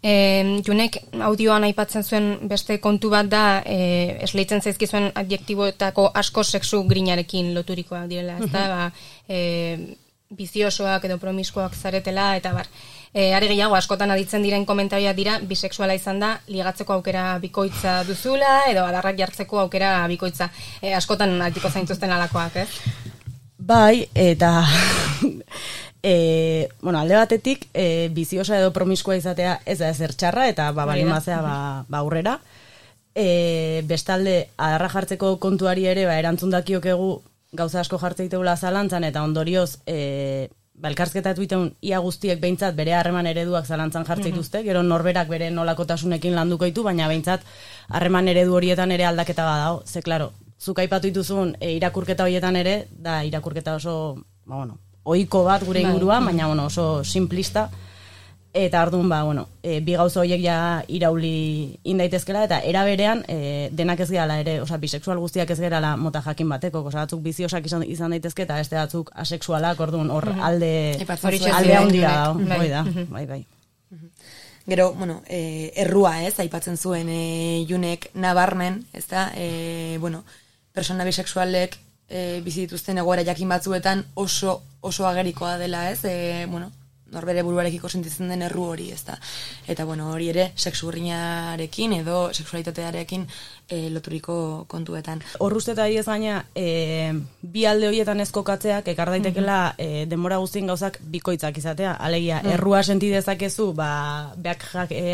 Junek audioan aipatzen zuen beste kontu bat da, esleitzen zaizkizuen adjektiboetako asko sexu grinarekin loturikoak direla, ez da, biziosoak edo promiskoak zaretela, eta are gehiago askotan aditzen diren komentarioak dira, bisexuala izan da, ligatzeko aukera bikoitza duzula, edo adarrak jartzeko aukera bikoitza. Askotan altiko zaintuzten alakoak, ez? Bai, eta alde batetik, biziosa edo promiskua izatea ez da ezer txarra, eta balin bazea aurrera. Bestalde, adarra jartzeko kontuari ere, erantzun dakiokegu gauza asko jartzeiteula zalantzan, eta ondorioz, elkarrizketatu iteun ia guztiek behintzat bere harreman ereduak zalantzan jartzeituzte, gero norberak bere nolakotasunekin landuko ditu, baina behintzat harreman eredu horietan ere aldaketa badao. Ze, klaro, zuk aipatu dituzun irakurketa horietan ere, da irakurketa oso, ohiko bat gure inguruan, baina oso simplista, eta orduan, bi gauza horiek ja irauli indaitezkela, eta era berean, denak ez gehala ere, bisexual guztiak ez gerala mota jakin bateko, batzuk biziosak izan daitezke, eta beste batzuk asexualak, orduan hor alde handia da, bai. Gero, errua ez, aipatzen zuen Junek nabarmen, ez da, persona bisexualek bizituzten egoera jakin batzuetan oso agerikoa dela, ez, norbere buruarekiko sentitzen den erru hori, ezta. Eta bueno, hori ere sexu urrinarekin edo sexualitatearekin loturiko kontuetan. Hor uste eta ez gaina, bi alde horietan ez kokatzeak ekar daitekela denbora guztien gauzak bikoitzak izatea. Alegia, errua senti dezakezu, beak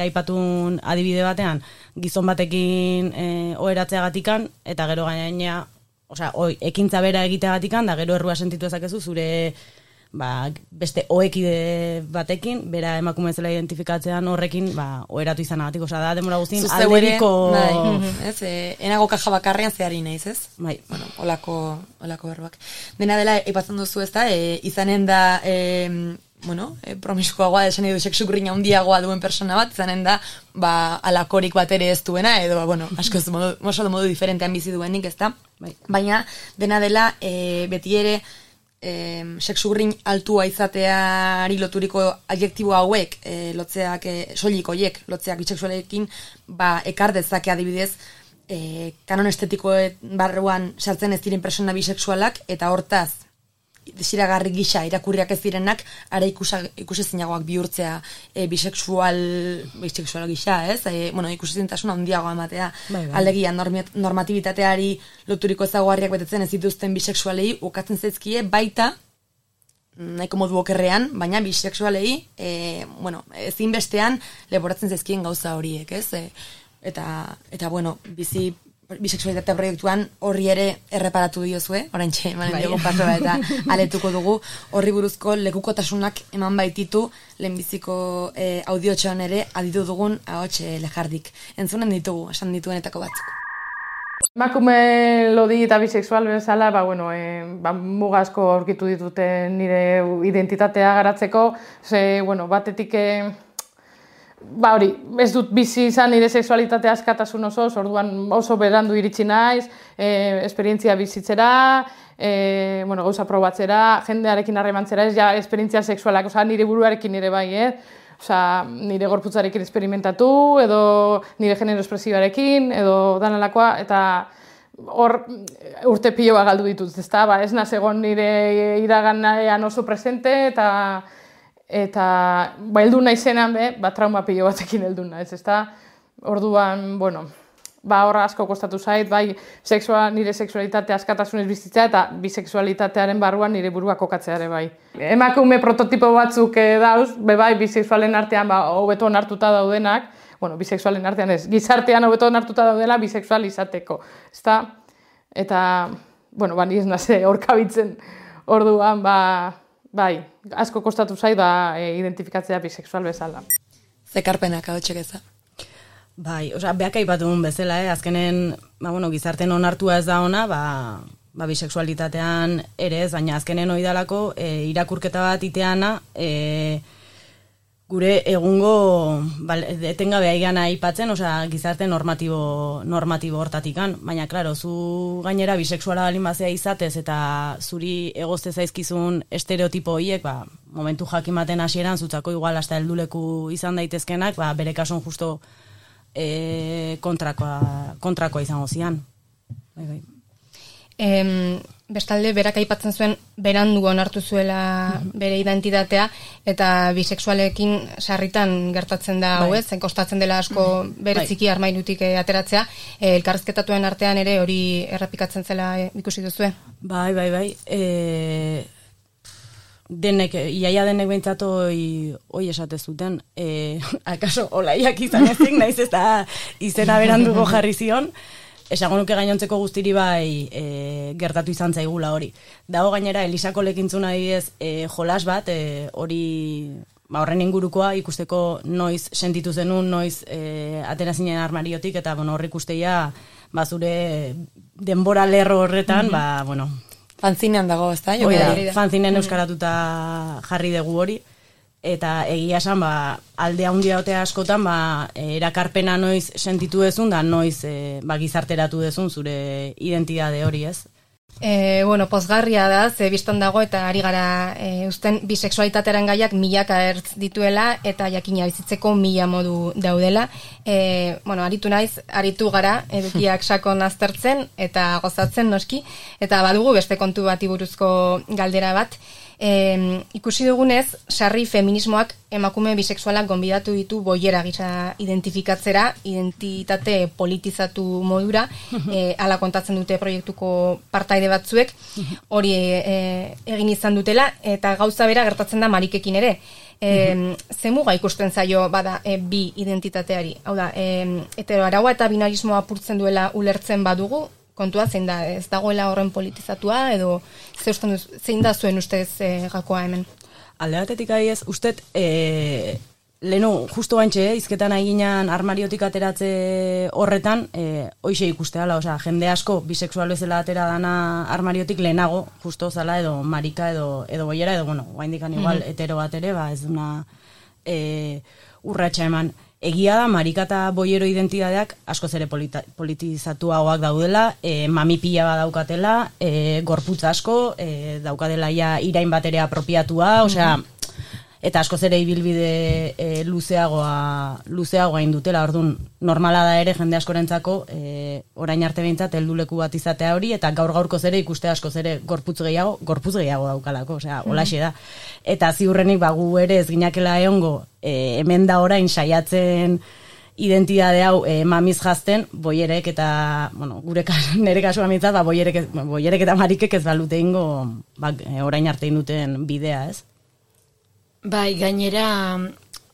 aipatun adibide batean, gizon batekin oheratzeagatikan, eta gero gaina, ekintza bera egiteagatikan, da gero errua sentitu ezakezu zure beste oekide batekin, bera emakume zela identifikatzean horrekin, oheratu izanagatik, da demora guztin alderiko... Enago kaja bakarrean zehari nahiz, ez? Bai. Bueno, olako erroak. Dena dela, ipatzen duzu ez da, izanen da... promiskoagoa, esan edo sexukurrina handiagoa duen persona bat, izanen da, alakorik bat ere ez duena, edo, askoz modu diferentean bizi duenik, ez da? Baina, dena dela, beti ere, sexugrin altua izateari loturiko adjektibo hauek, lotzeak, soilik hoiek, lotzeak bisexualekin, ekar dezake adibidez, kanon estetiko barruan sartzen ez diren persona bisexualak, eta hortaz, desiragarri gisa irakurriak ez direnak, ara ikusezinagoak bihurtzea bisexual gisa, ez? Ikusezintasuna handiagoa ematea. Alegia, normatibitateari loturiko ezaugarriak betetzen ez dituzten bisexualei ukatzen zaizkie baita, nahiko modu okerrean, baina bisexualei, ezinbestean leporatzen zaizkien gauza horiek, ez? Eta bisexualitatea proiektuan horri ere erreparatu diozue, oraintxe emanen dugu pasoa eta aletuko dugu, horri buruzko lekukotasunak eman baititu lehenbiziko audiotxoan ere aditu dugun ahots lejardik. Entzunen ditugu, esan dituenetako batzuk. Emakume lodi eta bisexual bezala, mugazko aurkitu ditute nire identitatea garatzeko, batetik... hori, ez dut bizi izan nire sexualitatea askatasun orduan oso berandu iritsi naiz, esperientzia bizitzera, gauza probatzera, jendearekin harremantzera, ez ja esperientzia sexualak, nire buruarekin nire bai, nire gorputzarekin esperimentatu, edo nire genero espresibarekin, edo danalakoa, eta hor urte piloa galdu ditut, ezta, ez naz egon nire iraganean oso presente, eta heldu naizenan trauma pilo batekin heldu naiz, ezta? Orduan, horra asko kostatu zait, nire sexualitatea askatasunez bizitzea eta bisexualitatearen barruan nire burua kokatzea ere bai. Emakume prototipo batzuk dauz, bisexualen artean hobeto onartuta daudenak, bisexualen artean ez, gizartean hobeto onartuta daudela bisexual izateko, ezta? Eta, ni ez naze horkabitzen orduan, asko kostatu zait identifikatzea bisexual bezala. Zekarpenak hau txekeza. Beak aipatun bezala, azkenen, gizarten onartua ez da ona, bisexualitatean ere ez, baina azkenen oidalako irakurketa bat iteana, gure egungo etengabe aigan aipatzen, gizarte normatibo hortatikan, baina, klaro, zu gainera bisexuala balin bazea izatez eta zuri egozte zaizkizun estereotipo horiek, momentu jakimaten hasieran zutzako igual hasta helduleku izan daitezkenak, bere kasun justo kontrakoa izango zian. Bestalde, berak aipatzen zuen berandu onartu zuela bere identitatea, eta bisexualekin sarritan gertatzen da hau ez, kostatzen dela asko bere txiki armairutik ateratzea, elkarrizketatuen artean ere hori errepikatzen zela ikusi duzue? Bai. Iaia denek behintzat hoi esate zuten, akaso olaiak izan ezik, naiz eta izena beranduko jarri zion, esango nuke gainontzeko guztiri gertatu izan zaigula hori. Dago gainera, Elisako lekintzuna adibidez jolas bat, horren ingurukoa ikusteko noiz sentitu zenun, noiz atera zinen armariotik, eta hor ikusteia zure denbora lerro horretan, Fanzinean dago, ez da? Fanzinen euskaratuta jarri dugu hori. Eta egia esan, alde handia otea askotan, erakarpena noiz sentitu dezun, da noiz gizarteratu dezun zure identitate hori, ez? Pozgarria da, ze biztan dago, eta ari gara usten bisexualitatearen gaiak milaka ertz dituela, eta jakina bizitzeko 1000 modu daudela. Aritu gara, edukiak sakon aztertzen, eta gozatzen noski, eta badugu beste kontu bati buruzko galdera bat, Ikusi dugunez, sarri feminismoak emakume bisexualak gonbidatu ditu boiera gisa identifikatzera, identitate politizatu modura, hala kontatzen dute proiektuko partaide batzuek, hori egin izan dutela, eta gauza bera gertatzen da Marikekin ere. Ze muga ikusten zaio bada bi identitateari? Hau da, heteroaraua eta binarismoa apurtzen duela ulertzen badugu, kontua zein da, ez dagoela horren politizatua, edo zein da zuen ustez gakoa hemen? Alde batetik ez, ustet, lehenu, justo bantxe, izketan eginan armariotik ateratze horretan, hoxe ikusteala, osea, jende asko bisexual bezala atera dana armariotik lehenago, justo zala, edo marika, edo boiera, edo, bueno, guaindikan igual, hetero bat ere, ez duna urratxa eman. Egia da, marika eta boiero identidadeak askoz ere politizatuagoak daudela, mami pila bat daukatela, gorputz asko, daukatela ja irain bat ere apropiatua, osea, eta askoz ere ibilbide luzeagoa indutela, orduan normala da ere jende askorentzako orain arte behintzat helduleku bat izatea hori, eta gaurkoz ere ikuste askoz ere gorputz gehiago daukalako, osea, holaxe da. Eta ziurrenik gu ere ez ginakela egongo hemen da orain saiatzen identitate hau mamiz jazten, boierek eta, bueno, nire kasua mitzat, boierek eta marikek ez balute ingo orain arte induten bidea, ez? Bai, gainera,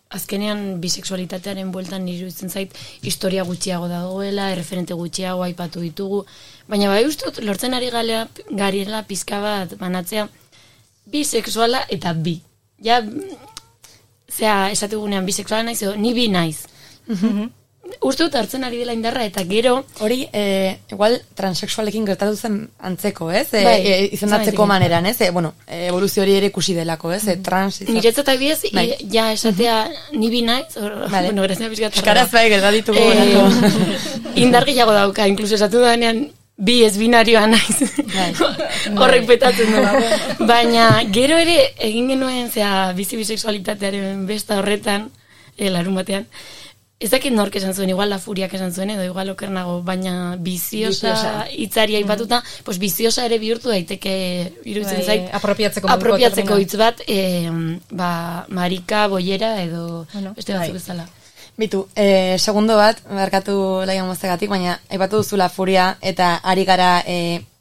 azkenean bisexualitatearen bueltan iruditzen zait historia gutxiago dagoela, erreferente gutxiago aipatu ditugu, baina bai ustut lortzen ari garela pizka bat banatzea bisexuala eta bi. Ja, esategunean bisexuala naiz, ni bi naiz. Uste dut hartzen ari dela indarra, eta gero... Hori, igual, transexualekin gertatu zen antzeko, ez? Izendatzeko maneran, ez? Bueno, evoluzio hori ere ikusi delako, ez? Niretzat adibidez, ja esatea ni bi naiz, bueno, grazia pizkat... Eskaraz bai, gertatituko. Indar gehiago dauka, inkluso esatu danean bi ez binarioa naiz. Horrek petatzen du. Baina, gero ere, egin genuen, bizi bisexualitatearen besta horretan, larun batean, ez dakit nork esan zuen, igual La Furiak esan zuen, edo igual okernago, baina biziosa hitzari aipatuta, pues biziosa ere bihurtu daiteke iruditzen zait. Apropiatzeko hitz bat, marika, boiera, edo beste batzu bezala. Bitu, segundo bat, barkatu laian moztegatik, baina aipatu duzu La Furia eta ari gara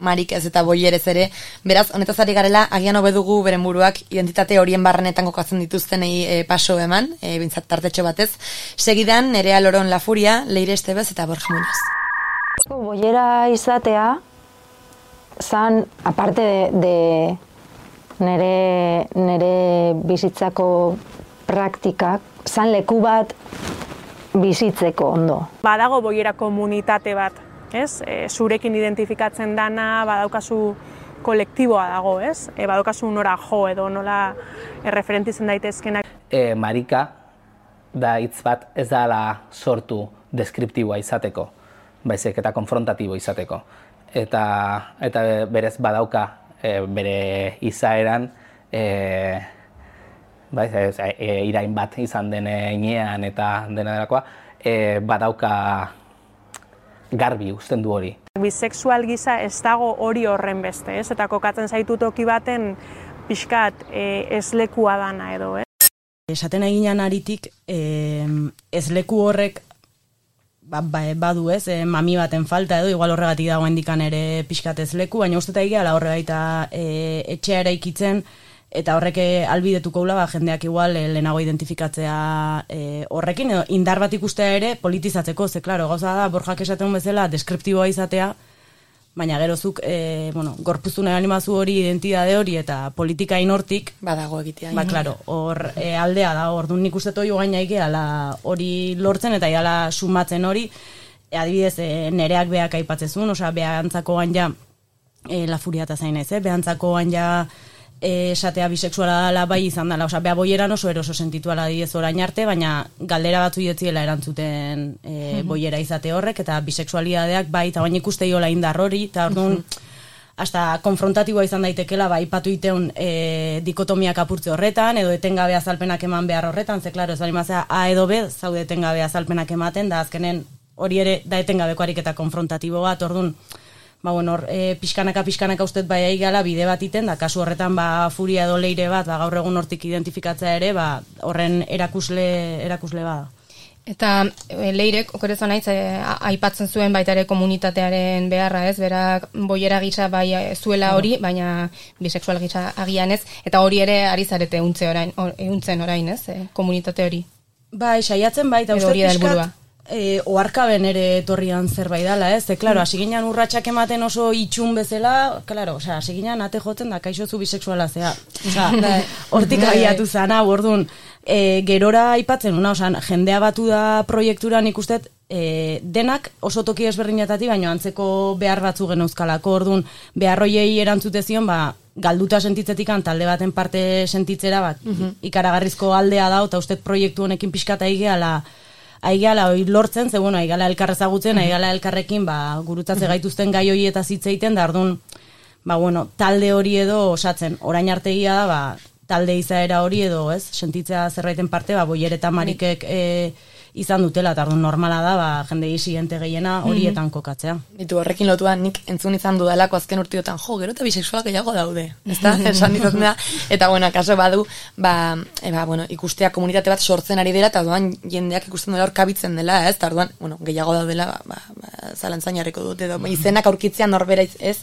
marik ez eta boierez ere, beraz, honetaz ari garela, agian hobedugu beren buruak identitate horien barrenetan kokatzen dituztenei paso eman, bintzat tartetxo batez. Segidan, Nerea Loron La Furia, Leire Estebez eta Borja Muñoz. Boiera izatea, zan, aparte de nere bizitzako praktikak, zan leku bat bizitzeko ondo. Badago boiera komunitate bat, ez? Zurekin identifikatzen dana, badaukazu kolektiboa dago, ez? Badaukazu nora jo edo nola erreferentitzen daitezkenak. Marika da hitz bat ez dela sortu deskriptiboa izateko, baizik eta konfrontatibo izateko. Eta berez badauka bere izaeran irain bat izan den inean eta dena delakoa, badauka garbi uzten du hori. Bisexual gisa ez dago hori horren beste, ez? Eta kokatzen zaitu toki baten pixkat ez lekua dana edo, ez? Esaten eginan aritik, ez leku horrek badu ez, mami baten falta edo, igual horregatik dago hendikan ere pixkat ez leku, baina uste eta egia horregaita etxea eraikitzen, eta horrek albidetuko gula, jendeak igual lehenago identifikatzea horrekin, edo indar bat ikustea ere politizatzeko, ze klaro, gauza da, Borjak esaten bezala, deskriptiboa izatea, baina gerozuk, gorpuztu nahi animazu hori, identitate hori, eta politika inortik, badago egitea. Klaro, hor aldea da, orduan nik uste toi gaina ikeala hori lortzen, eta iala sumatzen hori, adibidez, nereak beak aipatzezun, osea, behantzako gaina, La Furia eta zain ez, behantzako gaina, esatea bisexuala dela bai izan dela, osea, beha boieran oso eroso sentituala diez orain arte, baina galdera batzu iotziela erantzuten boiera izate horrek, eta bisexualidadeak bai, eta baina ikuste jola indar hori, eta orduan, hasta konfrontatiboa izan daitekela, bai, ipatu iteun dikotomiak apurtze horretan, edo etengabe azalpenak eman behar horretan, ze, klaro, ez bali mazea, A edo B, zaude etengabe azalpenak ematen, da azkenen hori ere da etengabeko ariketa konfrontatibo bat, orduan, bueno, pixkanaka ustet bai aigala bide bat iten, da kasu horretan furia edo leire bat, gaur egun hortik identifikatzea ere, horren erakusle bada. Eta leirek, okorezan naiz, aipatzen zuen baita ere komunitatearen beharra, ez? Berak boiera gisa bai zuela hori, baina bisexual gisa agian ez, eta hori ere ari zarete euntzen orain, ez? Komunitate hori. Bai, saiatzen bai, eta uste pixkat, oarkaben ere etorrian zerbait dela, ez? Klaro, hasi ginen urratsak ematen oso itxun bezala, klaro, hasi ginen ate jotzen da kaixo zu bisexuala zea. Hortik abiatu zana, orduan, gerora aipatzen, jendea batu da proiekturan ikustet, denak oso toki ezberdinetatik, baina antzeko behar batzu geneuzkalako, orduan, beharroiei erantzute zion, galduta sentitzetikan talde baten parte sentitzera, ikaragarrizko aldea da, eta ustet proiektu honekin pixkata aigala hori lortzen, ze bueno, aigala elkarrezagutzen, aigala elkarrekin gurutzatze gaituzten gai hori eta zitzeiten, da orduan, bueno, talde hori edo osatzen, orain artegia da, talde izaera hori edo, ez, sentitzea zerbaiten parte, boier eta marikek izan dutela, eta orduan normala da, jende isigente gehiena horietan kokatzea. Ditu horrekin lotuan nik entzun izan dudalako azken urtiotan, gero eta bisexualak gehiago daude, ezta? Esan dizatzen da, eta bueno, akaso badu, bueno, ikustea komunitate bat sortzen ari dela, eta orduan jendeak ikusten dela hor kabitzen dela, ez? Eta orduan, bueno, gehiago daudela, zalantzain jarriko dut, edo izenak aurkitzea norbera ez,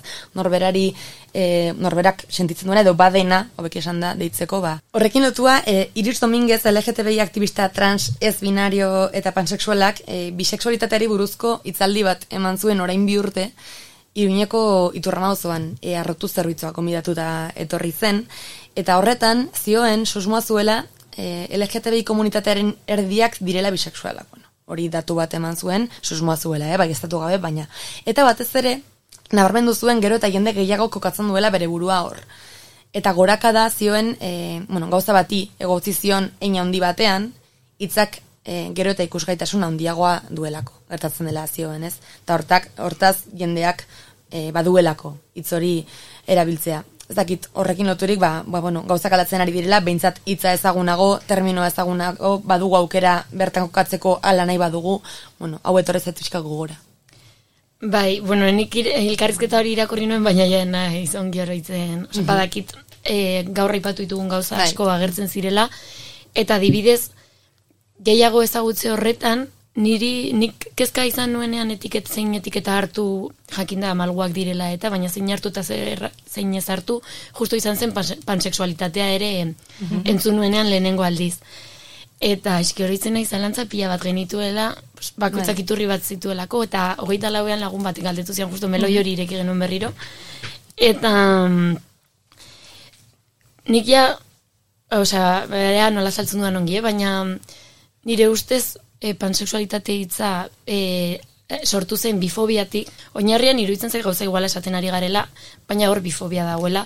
norberak sentitzen duena, edo badena, hobeki esan da, deitzeko, Horrekin lotua, Iris Dominguez, LGTBI aktivista trans ez binario eta pansexualak bisexualitateari buruzko hitzaldi bat eman zuen orain 2 urte, Iruñeko Iturramagozoan arrotu zerbitzua konbidatuta etorri zen, eta horretan zioen susmoa zuela LGTBI komunitatearen erdiak direla bisexualak. Hori datu bat eman zuen, susmoa zuela, baieztatu gabe, baina. Eta batez ere, nabarmendu zuen gero eta jende gehiago kokatzen duela bere burua hor. Eta goraka da zioen, gauza bati egotzi zion hein handi batean, hitzak gero eta ikusgaitasun handiagoa duelako, gertatzen dela zioen, ez? Eta hortaz jendeak baduelako hitz hori erabiltzea. Ez dakit horrekin loturik, gauzak aldatzen ari direla, behintzat hitza ezagunago, terminoa ezagunago, badugu aukera bertan kokatzeko ala nahi badugu, hau etorrezat pixka gogora. Bai, nik elkarrizketa hori irakurri nuen, baina jena izan gioroitzen, badakit gaur aipatu ditugun gauza asko agertzen zirela, eta adibidez, gehiago ezagutze horretan, nik kezka izan nuenean zein etiketa hartu jakinda malguak direla eta, baina zein hartu eta zein ez hartu, justo izan zen pansexualitatea ere entzun nuenean lehenengo aldiz. Eta eski horitzen nahi zalantza pila bat genituela, bakoitzak iturri bat zituelako, eta 24 lagun bat galdetu zian, justo meloi hori ireki genuen berriro. Eta nik ja, nola saltzen dudan ongi, baina nire ustez pansexualitate hitza sortu zen bifobiatik, oinarrian iruditzen zait gauza iguala esaten ari garela, baina hor bifobia dagoela,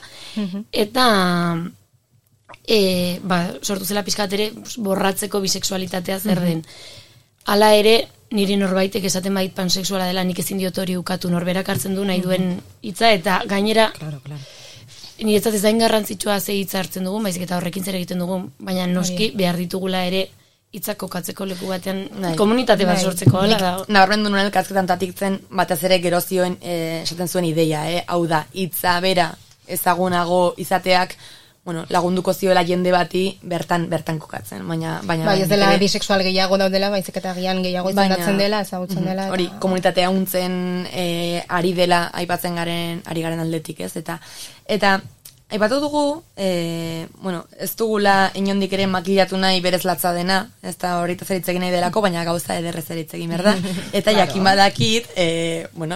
eta sortu zela pixkat ere borratzeko bisexualitatea zer den. Hala ere, niri norbaitek esaten bait pansexuala dela, nik ezin diot hori ukatu, norberak hartzen du nahi duen hitza, eta gainera niretzat ez zain garrantzitsua ze hitza hartzen dugun, baizik eta horrekin zer egiten dugun, baina noski behar ditugula ere hitzak kokatzeko leku batean komunitate bat sortzeko. Nabarmendu nuen elkarrizketan tatiktzen, batez ere gero zioen esaten zuen ideia, hau da, hitza bera ezagunago izateak, lagunduko zioela jende bati bertan kokatzen. Bai, ez dela bisexual gehiago daudela, baizik eta gian gehiago izendatzen dela, ezagutzen dela. Hori, komunitatea untzen ari dela aipatzen ari garen aldetik, ez? Eta aipatu dugu, ez dugula inondik ere makillatu nahi berez latza dena, ez da horita zeritzegin nahi delako, baina gauza ederre zeritzegin, berda? Eta jakin badakit,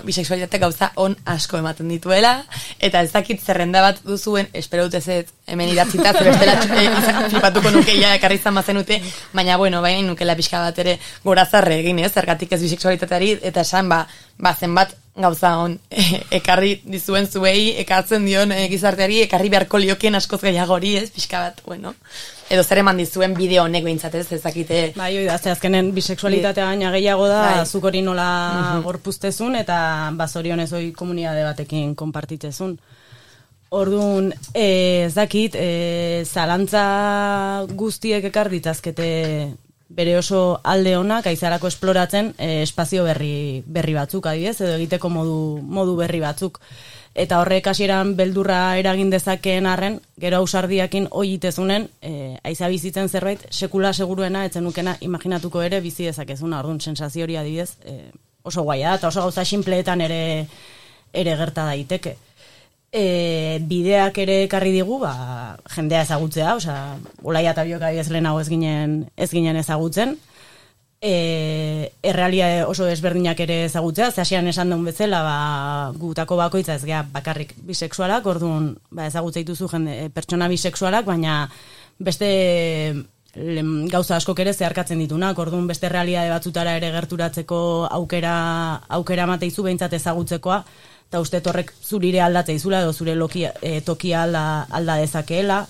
bisexualitate gauza on asko ematen dituela, eta ez dakit zerrenda bat duzuen, espero dut ez hemen idatzita, bestela flipatuko nukeia ekarri izan bazenute, baina baina nukela pixka bat ere gorazarre egin, zergatik ez bisexualitateari, eta esan, zenbat gauza hon ekarri dizuen zuei, ekartzen dion gizarteari, ekarri beharko liokien askoz gehiago hori, pixka bat, edo zer eman dizuen bideo honek behintzatez, ezakite. Bai, oi da, azkenen bisexualitatea gaina gehiago da, zuk hori nola gorpuztezun, eta zorionez hori komunitate batekin konpartitzezun. Orduan, ez dakit, zalantza guztiek ekar ditazkete bere oso alde onak aizarako esploratzen espazio berri batzuk, adibidez, edo egiteko modu berri batzuk. Eta horrek hasieran beldurra eragin dezakeen arren, gero ausardiakin oitezunen, aiza bizitzen zerbait, sekula seguruena, etzen nukena imaginatuko ere bizi dezakezuna, orduan sensazio hori adibidez, oso guaia da, eta oso gauza sinpleetan ere gerta daiteke. Bideak ere ekarri digu, jendea ezagutzea, Olaia eta Biok adibidez lehenago ez ginen ezagutzen, errealia oso desberdinak ere ezagutzea, ze hasian esan duen bezala, gutako bakoitza ez gea bakarrik bisexualak, orduan ezagutza dituzu pertsona bisexualak, baina beste gauza askok ere zeharkatzen ditunak, orduan beste realitate batzutara ere gerturatzeko aukera mateizu behintzat ezagutzekoa, eta uste horrek zurire aldatze izula, edo zure tokia alda dezakeela,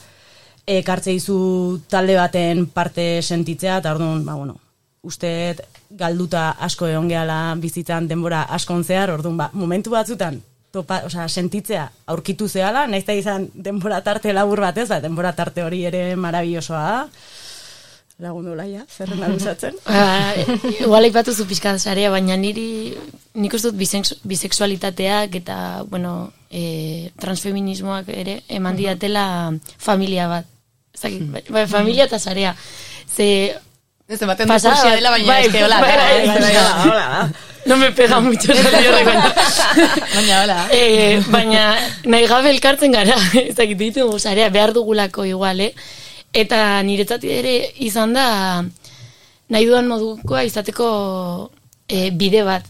ekartze izu talde baten parte sentitzea, eta orduan, uste galduta asko egon gehala bizitzan denbora askon zehar, orduan, momentu batzutan, sentitzea aurkitu zehala, nahiz da izan denbora tarte labur batez, denbora tarte hori ere marabillosoa da. Lagundu Olaia, zerrena luzatzen. Igual aipatu zu pixkat sarea, baina nik uste dut bisexualitateak eta, transfeminismoak ere eman diatela familia bat. Familia eta sarea. Desde baten dukursia dela, baina eske hola. No me pega mucho baina hola. Baina nahi gabe elkartzen gara, ezakit ditugu sarea, behar dugulako igual, Eta niretzat ere izan da nahi dudan modukoa izateko bide bat.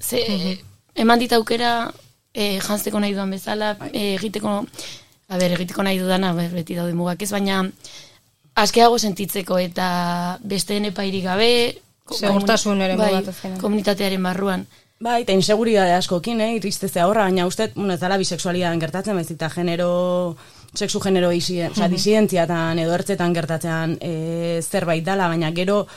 Eman dit aukera jantzeko nahi dudan bezala, egiteko nahi dudana, beti daude mugak ez, baina askeago sentitzeko eta besteen epairik gabe segurtasun ere komunitatearen barruan. Bai, eta inseguridade askokin, iristezea horra, baina uste, ez dala bisexualidaren gertatzen, baizik eta sexu genero disidenziatan edo ertzetan gertatzen zerbait dala, baina gero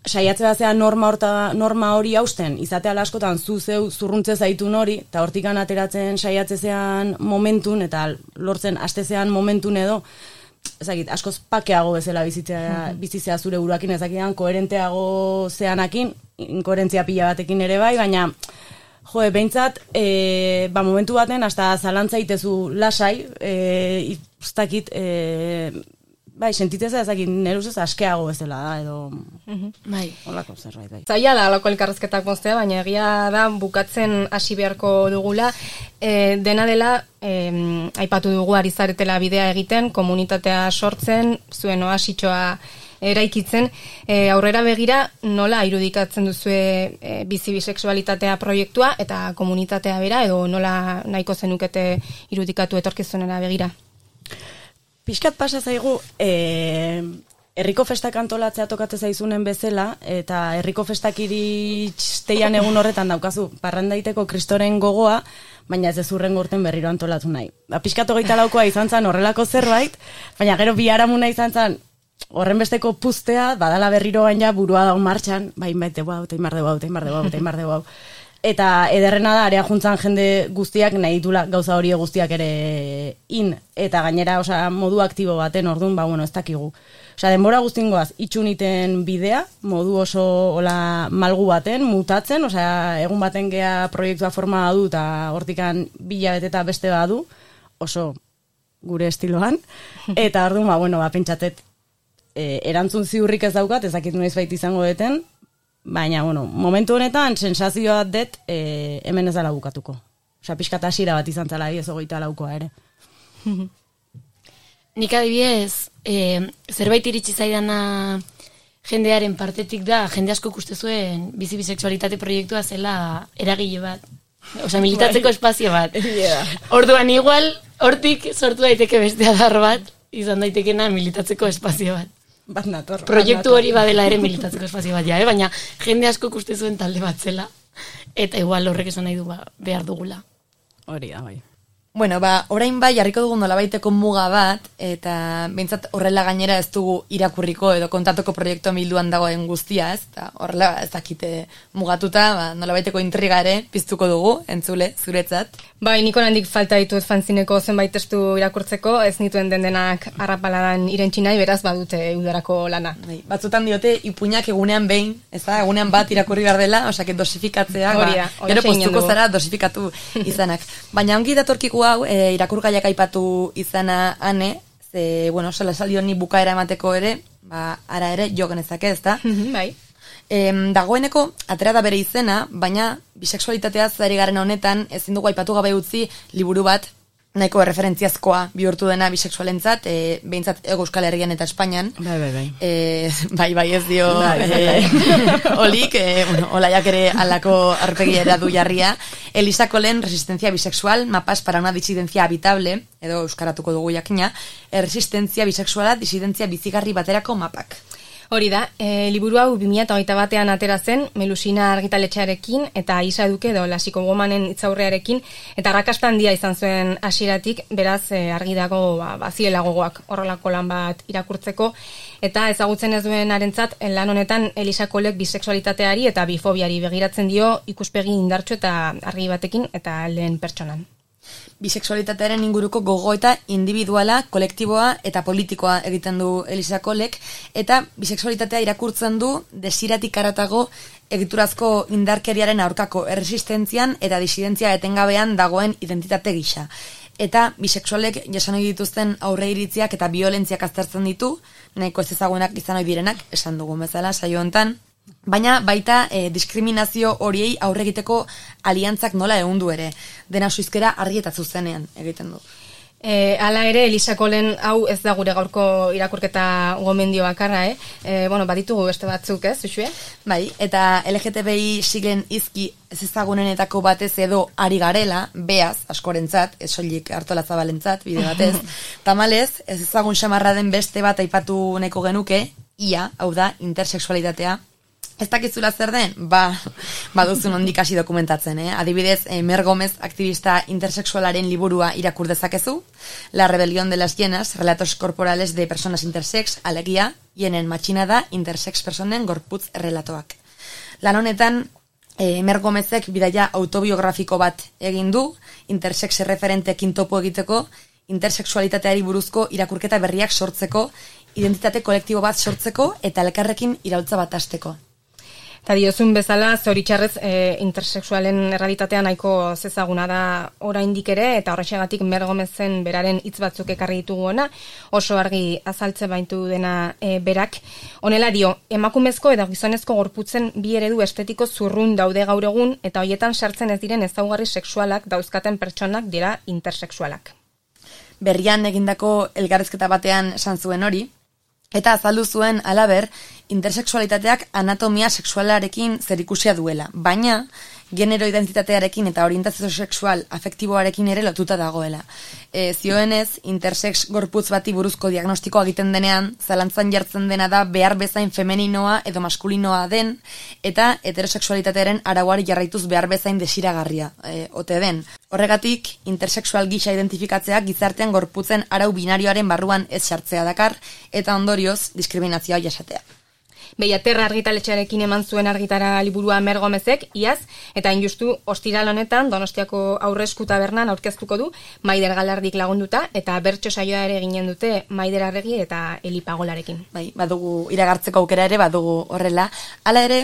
saiatze batzea norma hori hausten, izatea askotan zeu zurruntze zaitun hori, eta hortikan ateratzen saiatzezean momentun, eta lortzen astezean momentun edo, ezakit, askoz pakeago bezala bizitzea zure buruakin, ezakidan koherenteago zeanakin, inkoherentzia pila batekin ere bai, baina behintzat, momentu baten, hasta zalantza itezu lasai, ustakit, sentitzeza ezakit, neruzez askeago bezala da, edo, holako zerbait, bai. Zaila da, alako elkarrezketak moztea, baina egia da, bukatzen hasi beharko dugula, dena dela, aipatu dugu ari zaretela bidea egiten, komunitatea sortzen, zuen oasitxoa eraikitzen, aurrera begira nola irudikatzen duzue bizi bisexualitatea proiektua eta komunitatea bera, edo nola nahiko zenukete irudikatu etorkizunera begira? Pixkat pasa zaigu, herriko festak antolatzea tokatzen zaizunen bezala, eta herriko festak iristeian egun horretan daukazu parrandaiteko kristoren gogoa, baina ez ezurren gorten berriro antolatu nahi. Pixkat 24 izan zen horrelako zerbait, baina gero biharamuna izan zen horren besteko puztea, badala berriro gaina burua daun martxan, baite hau. Eta ederrena da, area juntzan jende guztiak nahi ditula gauza hori guztiak ere eta gainera modu aktibo baten, orduan, ez dakigu. Denbora guztingoaz itxuniten bidea, modu oso malgu baten, mutatzen, egun baten gea proiektua forma du, eta hortikan bilabete eta beste badu, oso gure estiloan, eta orduan, pentsatet, erantzun ziurrik ez daukat, ezakit noiz baita izango deten, baina, momentu honetan, sensazioa det, hemen ez dala bukatuko. Pixkat hasiera bat izan zala, ez 24koa ere. Nik adibidez, zerbait iritsi zaidana jendearen partetik da, jende asko ikuste zuen bizi bisexualitate proiektua zela eragile bat. Militatzeko espazio bat. Orduan igual, hortik sortu daiteke beste adar bat, izan daitekena militatzeko espazio bat. Proiektu hori badela ere militatzeko espazio bat, baina jende asko ikuste zuen talde bat zela, eta igual horrek esan nahi du behar dugula. Hori da, bai. Bueno, orain bai jarriko dugu nolabaiteko muga bat, eta behintzat horrela gainera ez dugu irakurriko edo kontatuko proiektu bilduan dagoen guztia, ez? Eta horrela ez dakite mugatuta, nolabaiteko intriga ere piztuko dugu, entzule, zuretzat. Bai, niko handik falta ditut fanzineko zenbait testu irakurtzeko, ez nituen dendenak arrapaladan irentsi nahi, beraz badute udarako lana. Bai, batzutan diote ipuinak egunean behin, ez da, egunean bat irakurri behar dela, osea, dosifikatzea, gero postuko zara dosifikatu izanak. Baina ongi datorkiku hau, irakurgaiak aipatu izana ane, ze, bueno, sola salio ni bukaera emateko ere, ara ere jo genezake, ez da? Bai. Dagoeneko, atera da bere izena, baina bisexualitatea zari garen honetan, ezin dugu aipatu gabe utzi liburu bat, nahiko referentziazkoa bihurtu dena bisexualentzat, behintzat Euskal Herrian eta Espainian. Bai, ez dio olik, olaiak ere alako arpegiera du jarria. Elisa Colen, Resistencia bisexual, mapas para una disidencia habitable, edo euskaratuko dugu jakina, resistentzia bisexuala, disidentzia bizigarri baterako mapak. Hori da, liburu hau 2021an atera zen, Melusina argitaletxearekin eta Isa Duke edo Lasiko Gomanen hitzaurrearekin, eta arrakasta handia izan zuen hasieratik, beraz argi dago baziela gogoak horrelako lan bat irakurtzeko, eta ezagutzen ez duen arentzat, lan honetan Elisa Colek bisexualitateari eta bifobiari begiratzen dio ikuspegi indartsu eta argi batekin eta lehen pertsonan. Bisexualitatearen inguruko gogoeta individuala, kolektiboa eta politikoa egiten du Elisa Colek, eta bisexualitatea irakurtzen du desiratik haratago egiturazko indarkeriaren aurkako erresistentzian eta disidentzia etengabean dagoen identitate gisa. Eta bisexualek jasan ohi dituzten aurre iritziak eta biolentziak aztertzen ditu, nahiko ez ezagunak izan ohi direnak, esan dugun bezala saio hontan. Baina baita diskriminazio horiei aurre egiteko aliantzak nola ehundu ere, dena suizkera argi eta zuzenean egiten du. Hala ere, Elisa Colen hau ez da gure gaurko irakurketa gomendio bakarra, baditugu beste batzuk, Uxue? Bai, eta LGTBI siglen izki ez ezagunenetako batez edo ari garela, beaz, askorentzat, ez soilik Artola Zabalentzat, bide batez, tamalez, ez ezagun xamarra den beste bat aipatu nahiko genuke, ia, hau da, intersexualitatea. Ez dakizula zer den? Baduzun ondik hasi dokumentatzen, Adibidez, Mer Gomez aktivista intersexualaren liburua irakur dezakezu, La rebelión de las hienas, relatos corporales de personas intersex, alegia, hienen matxinada intersex personen gorputz relatoak. Lan honetan, Mer Gomezek bidaia autobiografiko bat egin du, intersex referentekin topo egiteko, intersexualitateari buruzko irakurketa berriak sortzeko, identitate kolektibo bat sortzeko eta elkarrekin iraultza bat hasteko. Eta diozun bezala, zoritxarrez intersexualen errealitatea nahiko zezaguna da oraindik ere, eta horrexegatik Mer Gomezen beraren hitz batzuk ekarri ditugu ona, oso argi azaltze baitu dena berak. Honela dio, emakumezko eta gizonezko gorputzen bi eredu estetiko zurrun daude gaur egun, eta hoietan sartzen ez diren ezaugarri sexualak dauzkaten pertsonak dira intersexualak. Berrian egindako elkarrezketa batean esan zuen hori, eta azaldu zuen halaber, intersexualitateak anatomia sexualarekin zerikusia duela, baina genero identitatearekin eta orientazio sexual afektiboarekin ere lotuta dagoela. Zioenez, intersex gorputz bati buruzko diagnostikoa egiten denean, zalantzan jartzen dena da behar bezain femeninoa edo maskulinoa den, eta heterosexualitatearen arauari jarraituz behar bezain desiragarria ote den. Horregatik, intersexual gisa identifikatzeak gizartean gorputzen arau binarioaren barruan ez sartzea dakar, eta ondorioz diskriminazioa jasatea. Behiaterra argitaletxearekin eman zuen argitara liburua Mer Gomezek, iaz, eta injustu ostiral honetan Donostiako Aurresku Tabernan aurkeztuko du, Maider Galardik lagunduta, eta bertso saioa ere ginen dute Maider Arregi eta Eli Pagolarekin. Bai, badugu iragartzeko aukera ere, badugu horrela. Hala ere,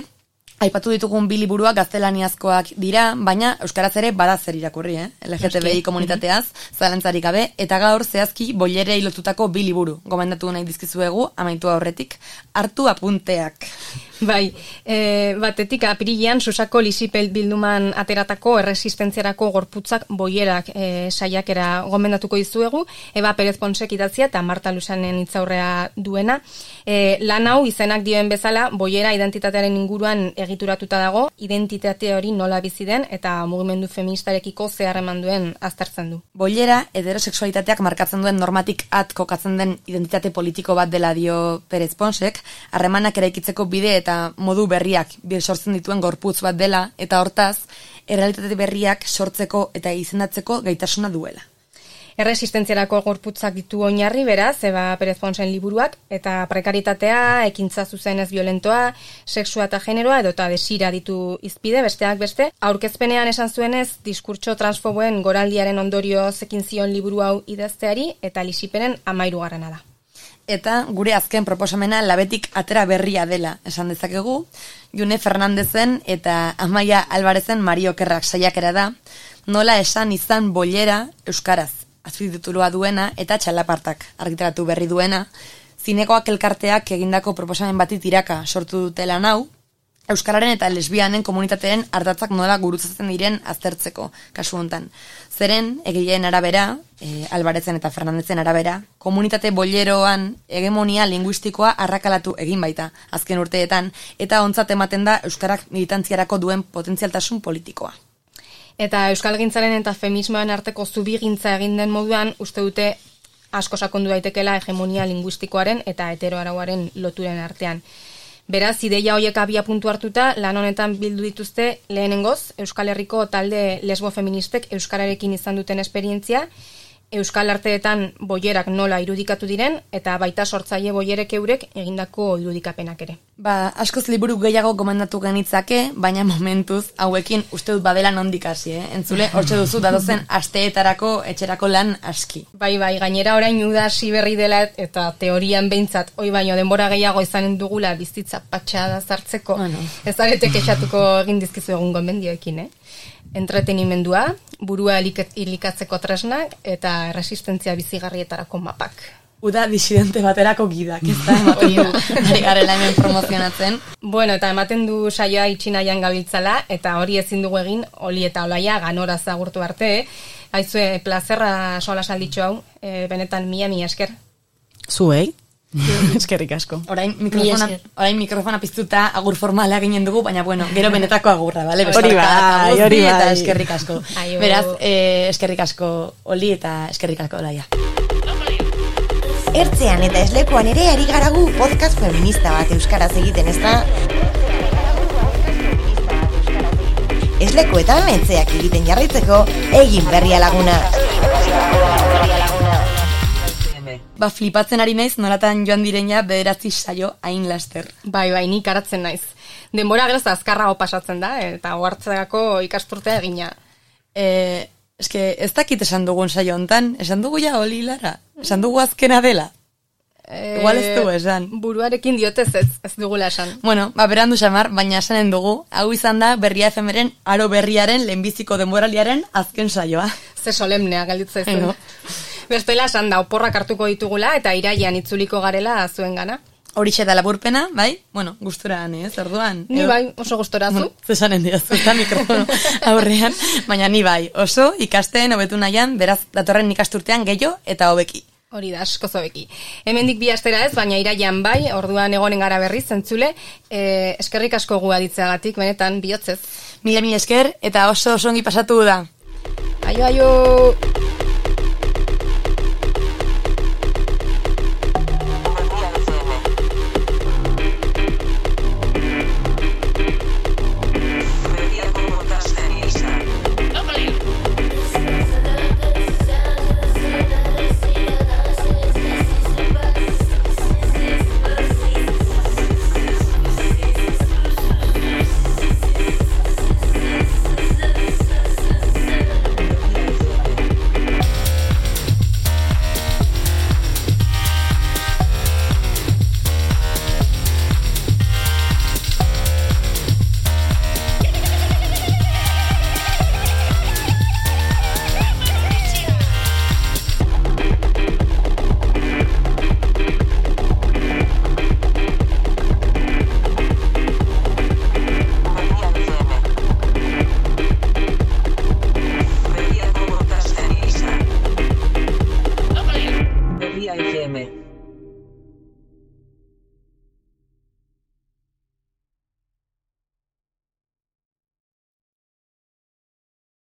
aipatu ditugun bi liburuak gaztelaniazkoak dira, baina euskaraz ere bada zer irakurri, LGTBI komunitateaz, zalantzarik gabe, eta gaur zehazki boilerei lotutako bi liburu, gomendatu nahi dizkizuegu, amaitu aurretik, hartu apunteak. Bai, batetik apirilean Susako Lisipel bilduman ateratako erresistentziarako gorputzak boierak saiakera gomendatuko dizuegu, Eba Perez Ponsek idatzia eta Marta Lusanen hitzaurrea duena. Lan hau izenak dioen bezala, boiera identitatearen inguruan egituratuta dago, identitate hori nola bizi den eta mugimendu feministarekiko zer eman duen aztertzen du. Boiera, heterosexualitateak markatzen duen normatik at kokatzen den identitate politiko bat dela dio Perez Ponsek, harremanak eraikitzeko bide eta modu berriak sortzen dituen gorputz bat dela, eta hortaz, errealitate berriak sortzeko eta izendatzeko gaitasuna duela. Erresistentziarako gorputzak ditu oinarri, beraz, Eba Perez Ponsen liburuak, eta prekaritatea, ekintza zuzenez violentoa, sexua eta generoa, edota desira ditu izpide, besteak beste. Aurkezpenean esan zuenez, diskurtso transfoboen goraldiaren ondorioz ekin zion liburu hau idazteari, eta lisipenen 13. da. Eta gure azken proposamena labetik atera berria dela, esan dezakegu, June Fernandezen eta Amaia Albarezen Mario Kerrak saiakera da, nola esan izan bollera euskaraz, azpititulua duena eta txalapartak argitaratu berri duena, zinekoak elkarteak egindako proposamen bati tiraka sortu dutela nau, euskararen eta lesbianen komunitateen ardatzak nola gurutzatzen diren aztertzeko, kasu hontan. Zeren, egileen arabera, Albarezen eta Fernandezen arabera, komunitate bolleroan hegemonia linguistikoa arrakalatu egin baita, azken urteetan, eta ontzat ematen da euskarak militantziarako duen potentzialtasun politikoa. Eta euskalgintzaren eta feminismoen arteko zubigintza egin den moduan, uste dute asko sakondu daitekela hegemonia linguistikoaren eta heteroarauaren loturen artean. Beraz, ideia horiek abia puntu hartuta, lan honetan bildu dituzte lehenengoz, Euskal Herriko talde lesbo-feministek euskararekin izan duten esperientzia, euskal arteetan boierak nola irudikatu diren, eta baita sortzaile boierek eurek egindako irudikapenak ere. Askoz liburu gehiago gomendatu genitzake, baina momentuz hauekin uste dut badela nondik hasi, Entzule, hortxe duzu datozen asteetarako etxerako lan aski. Bai, gainera orain udasi berri dela eta teorian behintzat, oi baino denbora gehiago izanen dugula bizitza patxada zartzeko, ez arete kexatuko egin dizkizu egun gomendioekin, Entretenimendua, burua hilikatzeko tresnak eta resistentzia bizigarrietarako mapak. Uda disidente baterako gidak, ez da ematen du, ari garela hemen promozionatzen. Bueno, eta ematen du saioa itxinaian gabiltzala, eta hori ezin dugu egin, Oli eta Olaia ganora zagurtu arte, Aizue, plazerra sola salditxo hau, benetan mila esker. Zuei? Eskerrik asko. Orain mikrofona piztuta agur formala ginen dugu, baina bueno, gero benetako agurra, bale? Hori bai. Eta eskerrik asko. Beraz, eskerrik asko Oli eta eskerrik asko Olaia. Ertzean eta eslepoan ere ari garagu podcast feminista bat euskaraz egiten, ez da? Esleko eta mentzeak egiten jarraitzeko, egin berria laguna. Flipatzen ari naiz, nolatan joan direina 9 saio hain laster. Bai, nik aratzen naiz. Denbora geroz azkarrago pasatzen da, eta ohartzeko ikasturtea egina. Eske, ez dakit esan dugun saio hontan, esan dugu ja Oli Lara, esan dugu azkena dela. Igual ez dugu esan. Buruarekin diotez ez dugula esan. Bueno, berandu xamar, baina esanen dugu, hau izan da Berria FMren aro berriaren lehenbiziko denboraliaren azken saioa. Ze solemnea galditza izan. Bestela esan da, oporrak hartuko ditugula eta iraian itzuliko garela zuen gana. Horixe da laburpena, bai? Bueno, gustura ez, orduan. Ni bai, oso gustora zu. Zesanen diazu, eta mikrofono aurrean, baina ni bai, oso ikasten hobetu nahian, beraz datorren ikasturtean gehiago eta hobeki. Hori da, asko zobeki. Hemendik 2 astera ez, baina iraian bai, orduan egonen gara berriz, zentzule, eskerrik asko gu aditzeagatik, benetan, bihotzez. Mila esker, eta oso ongi pasatu da. Aio!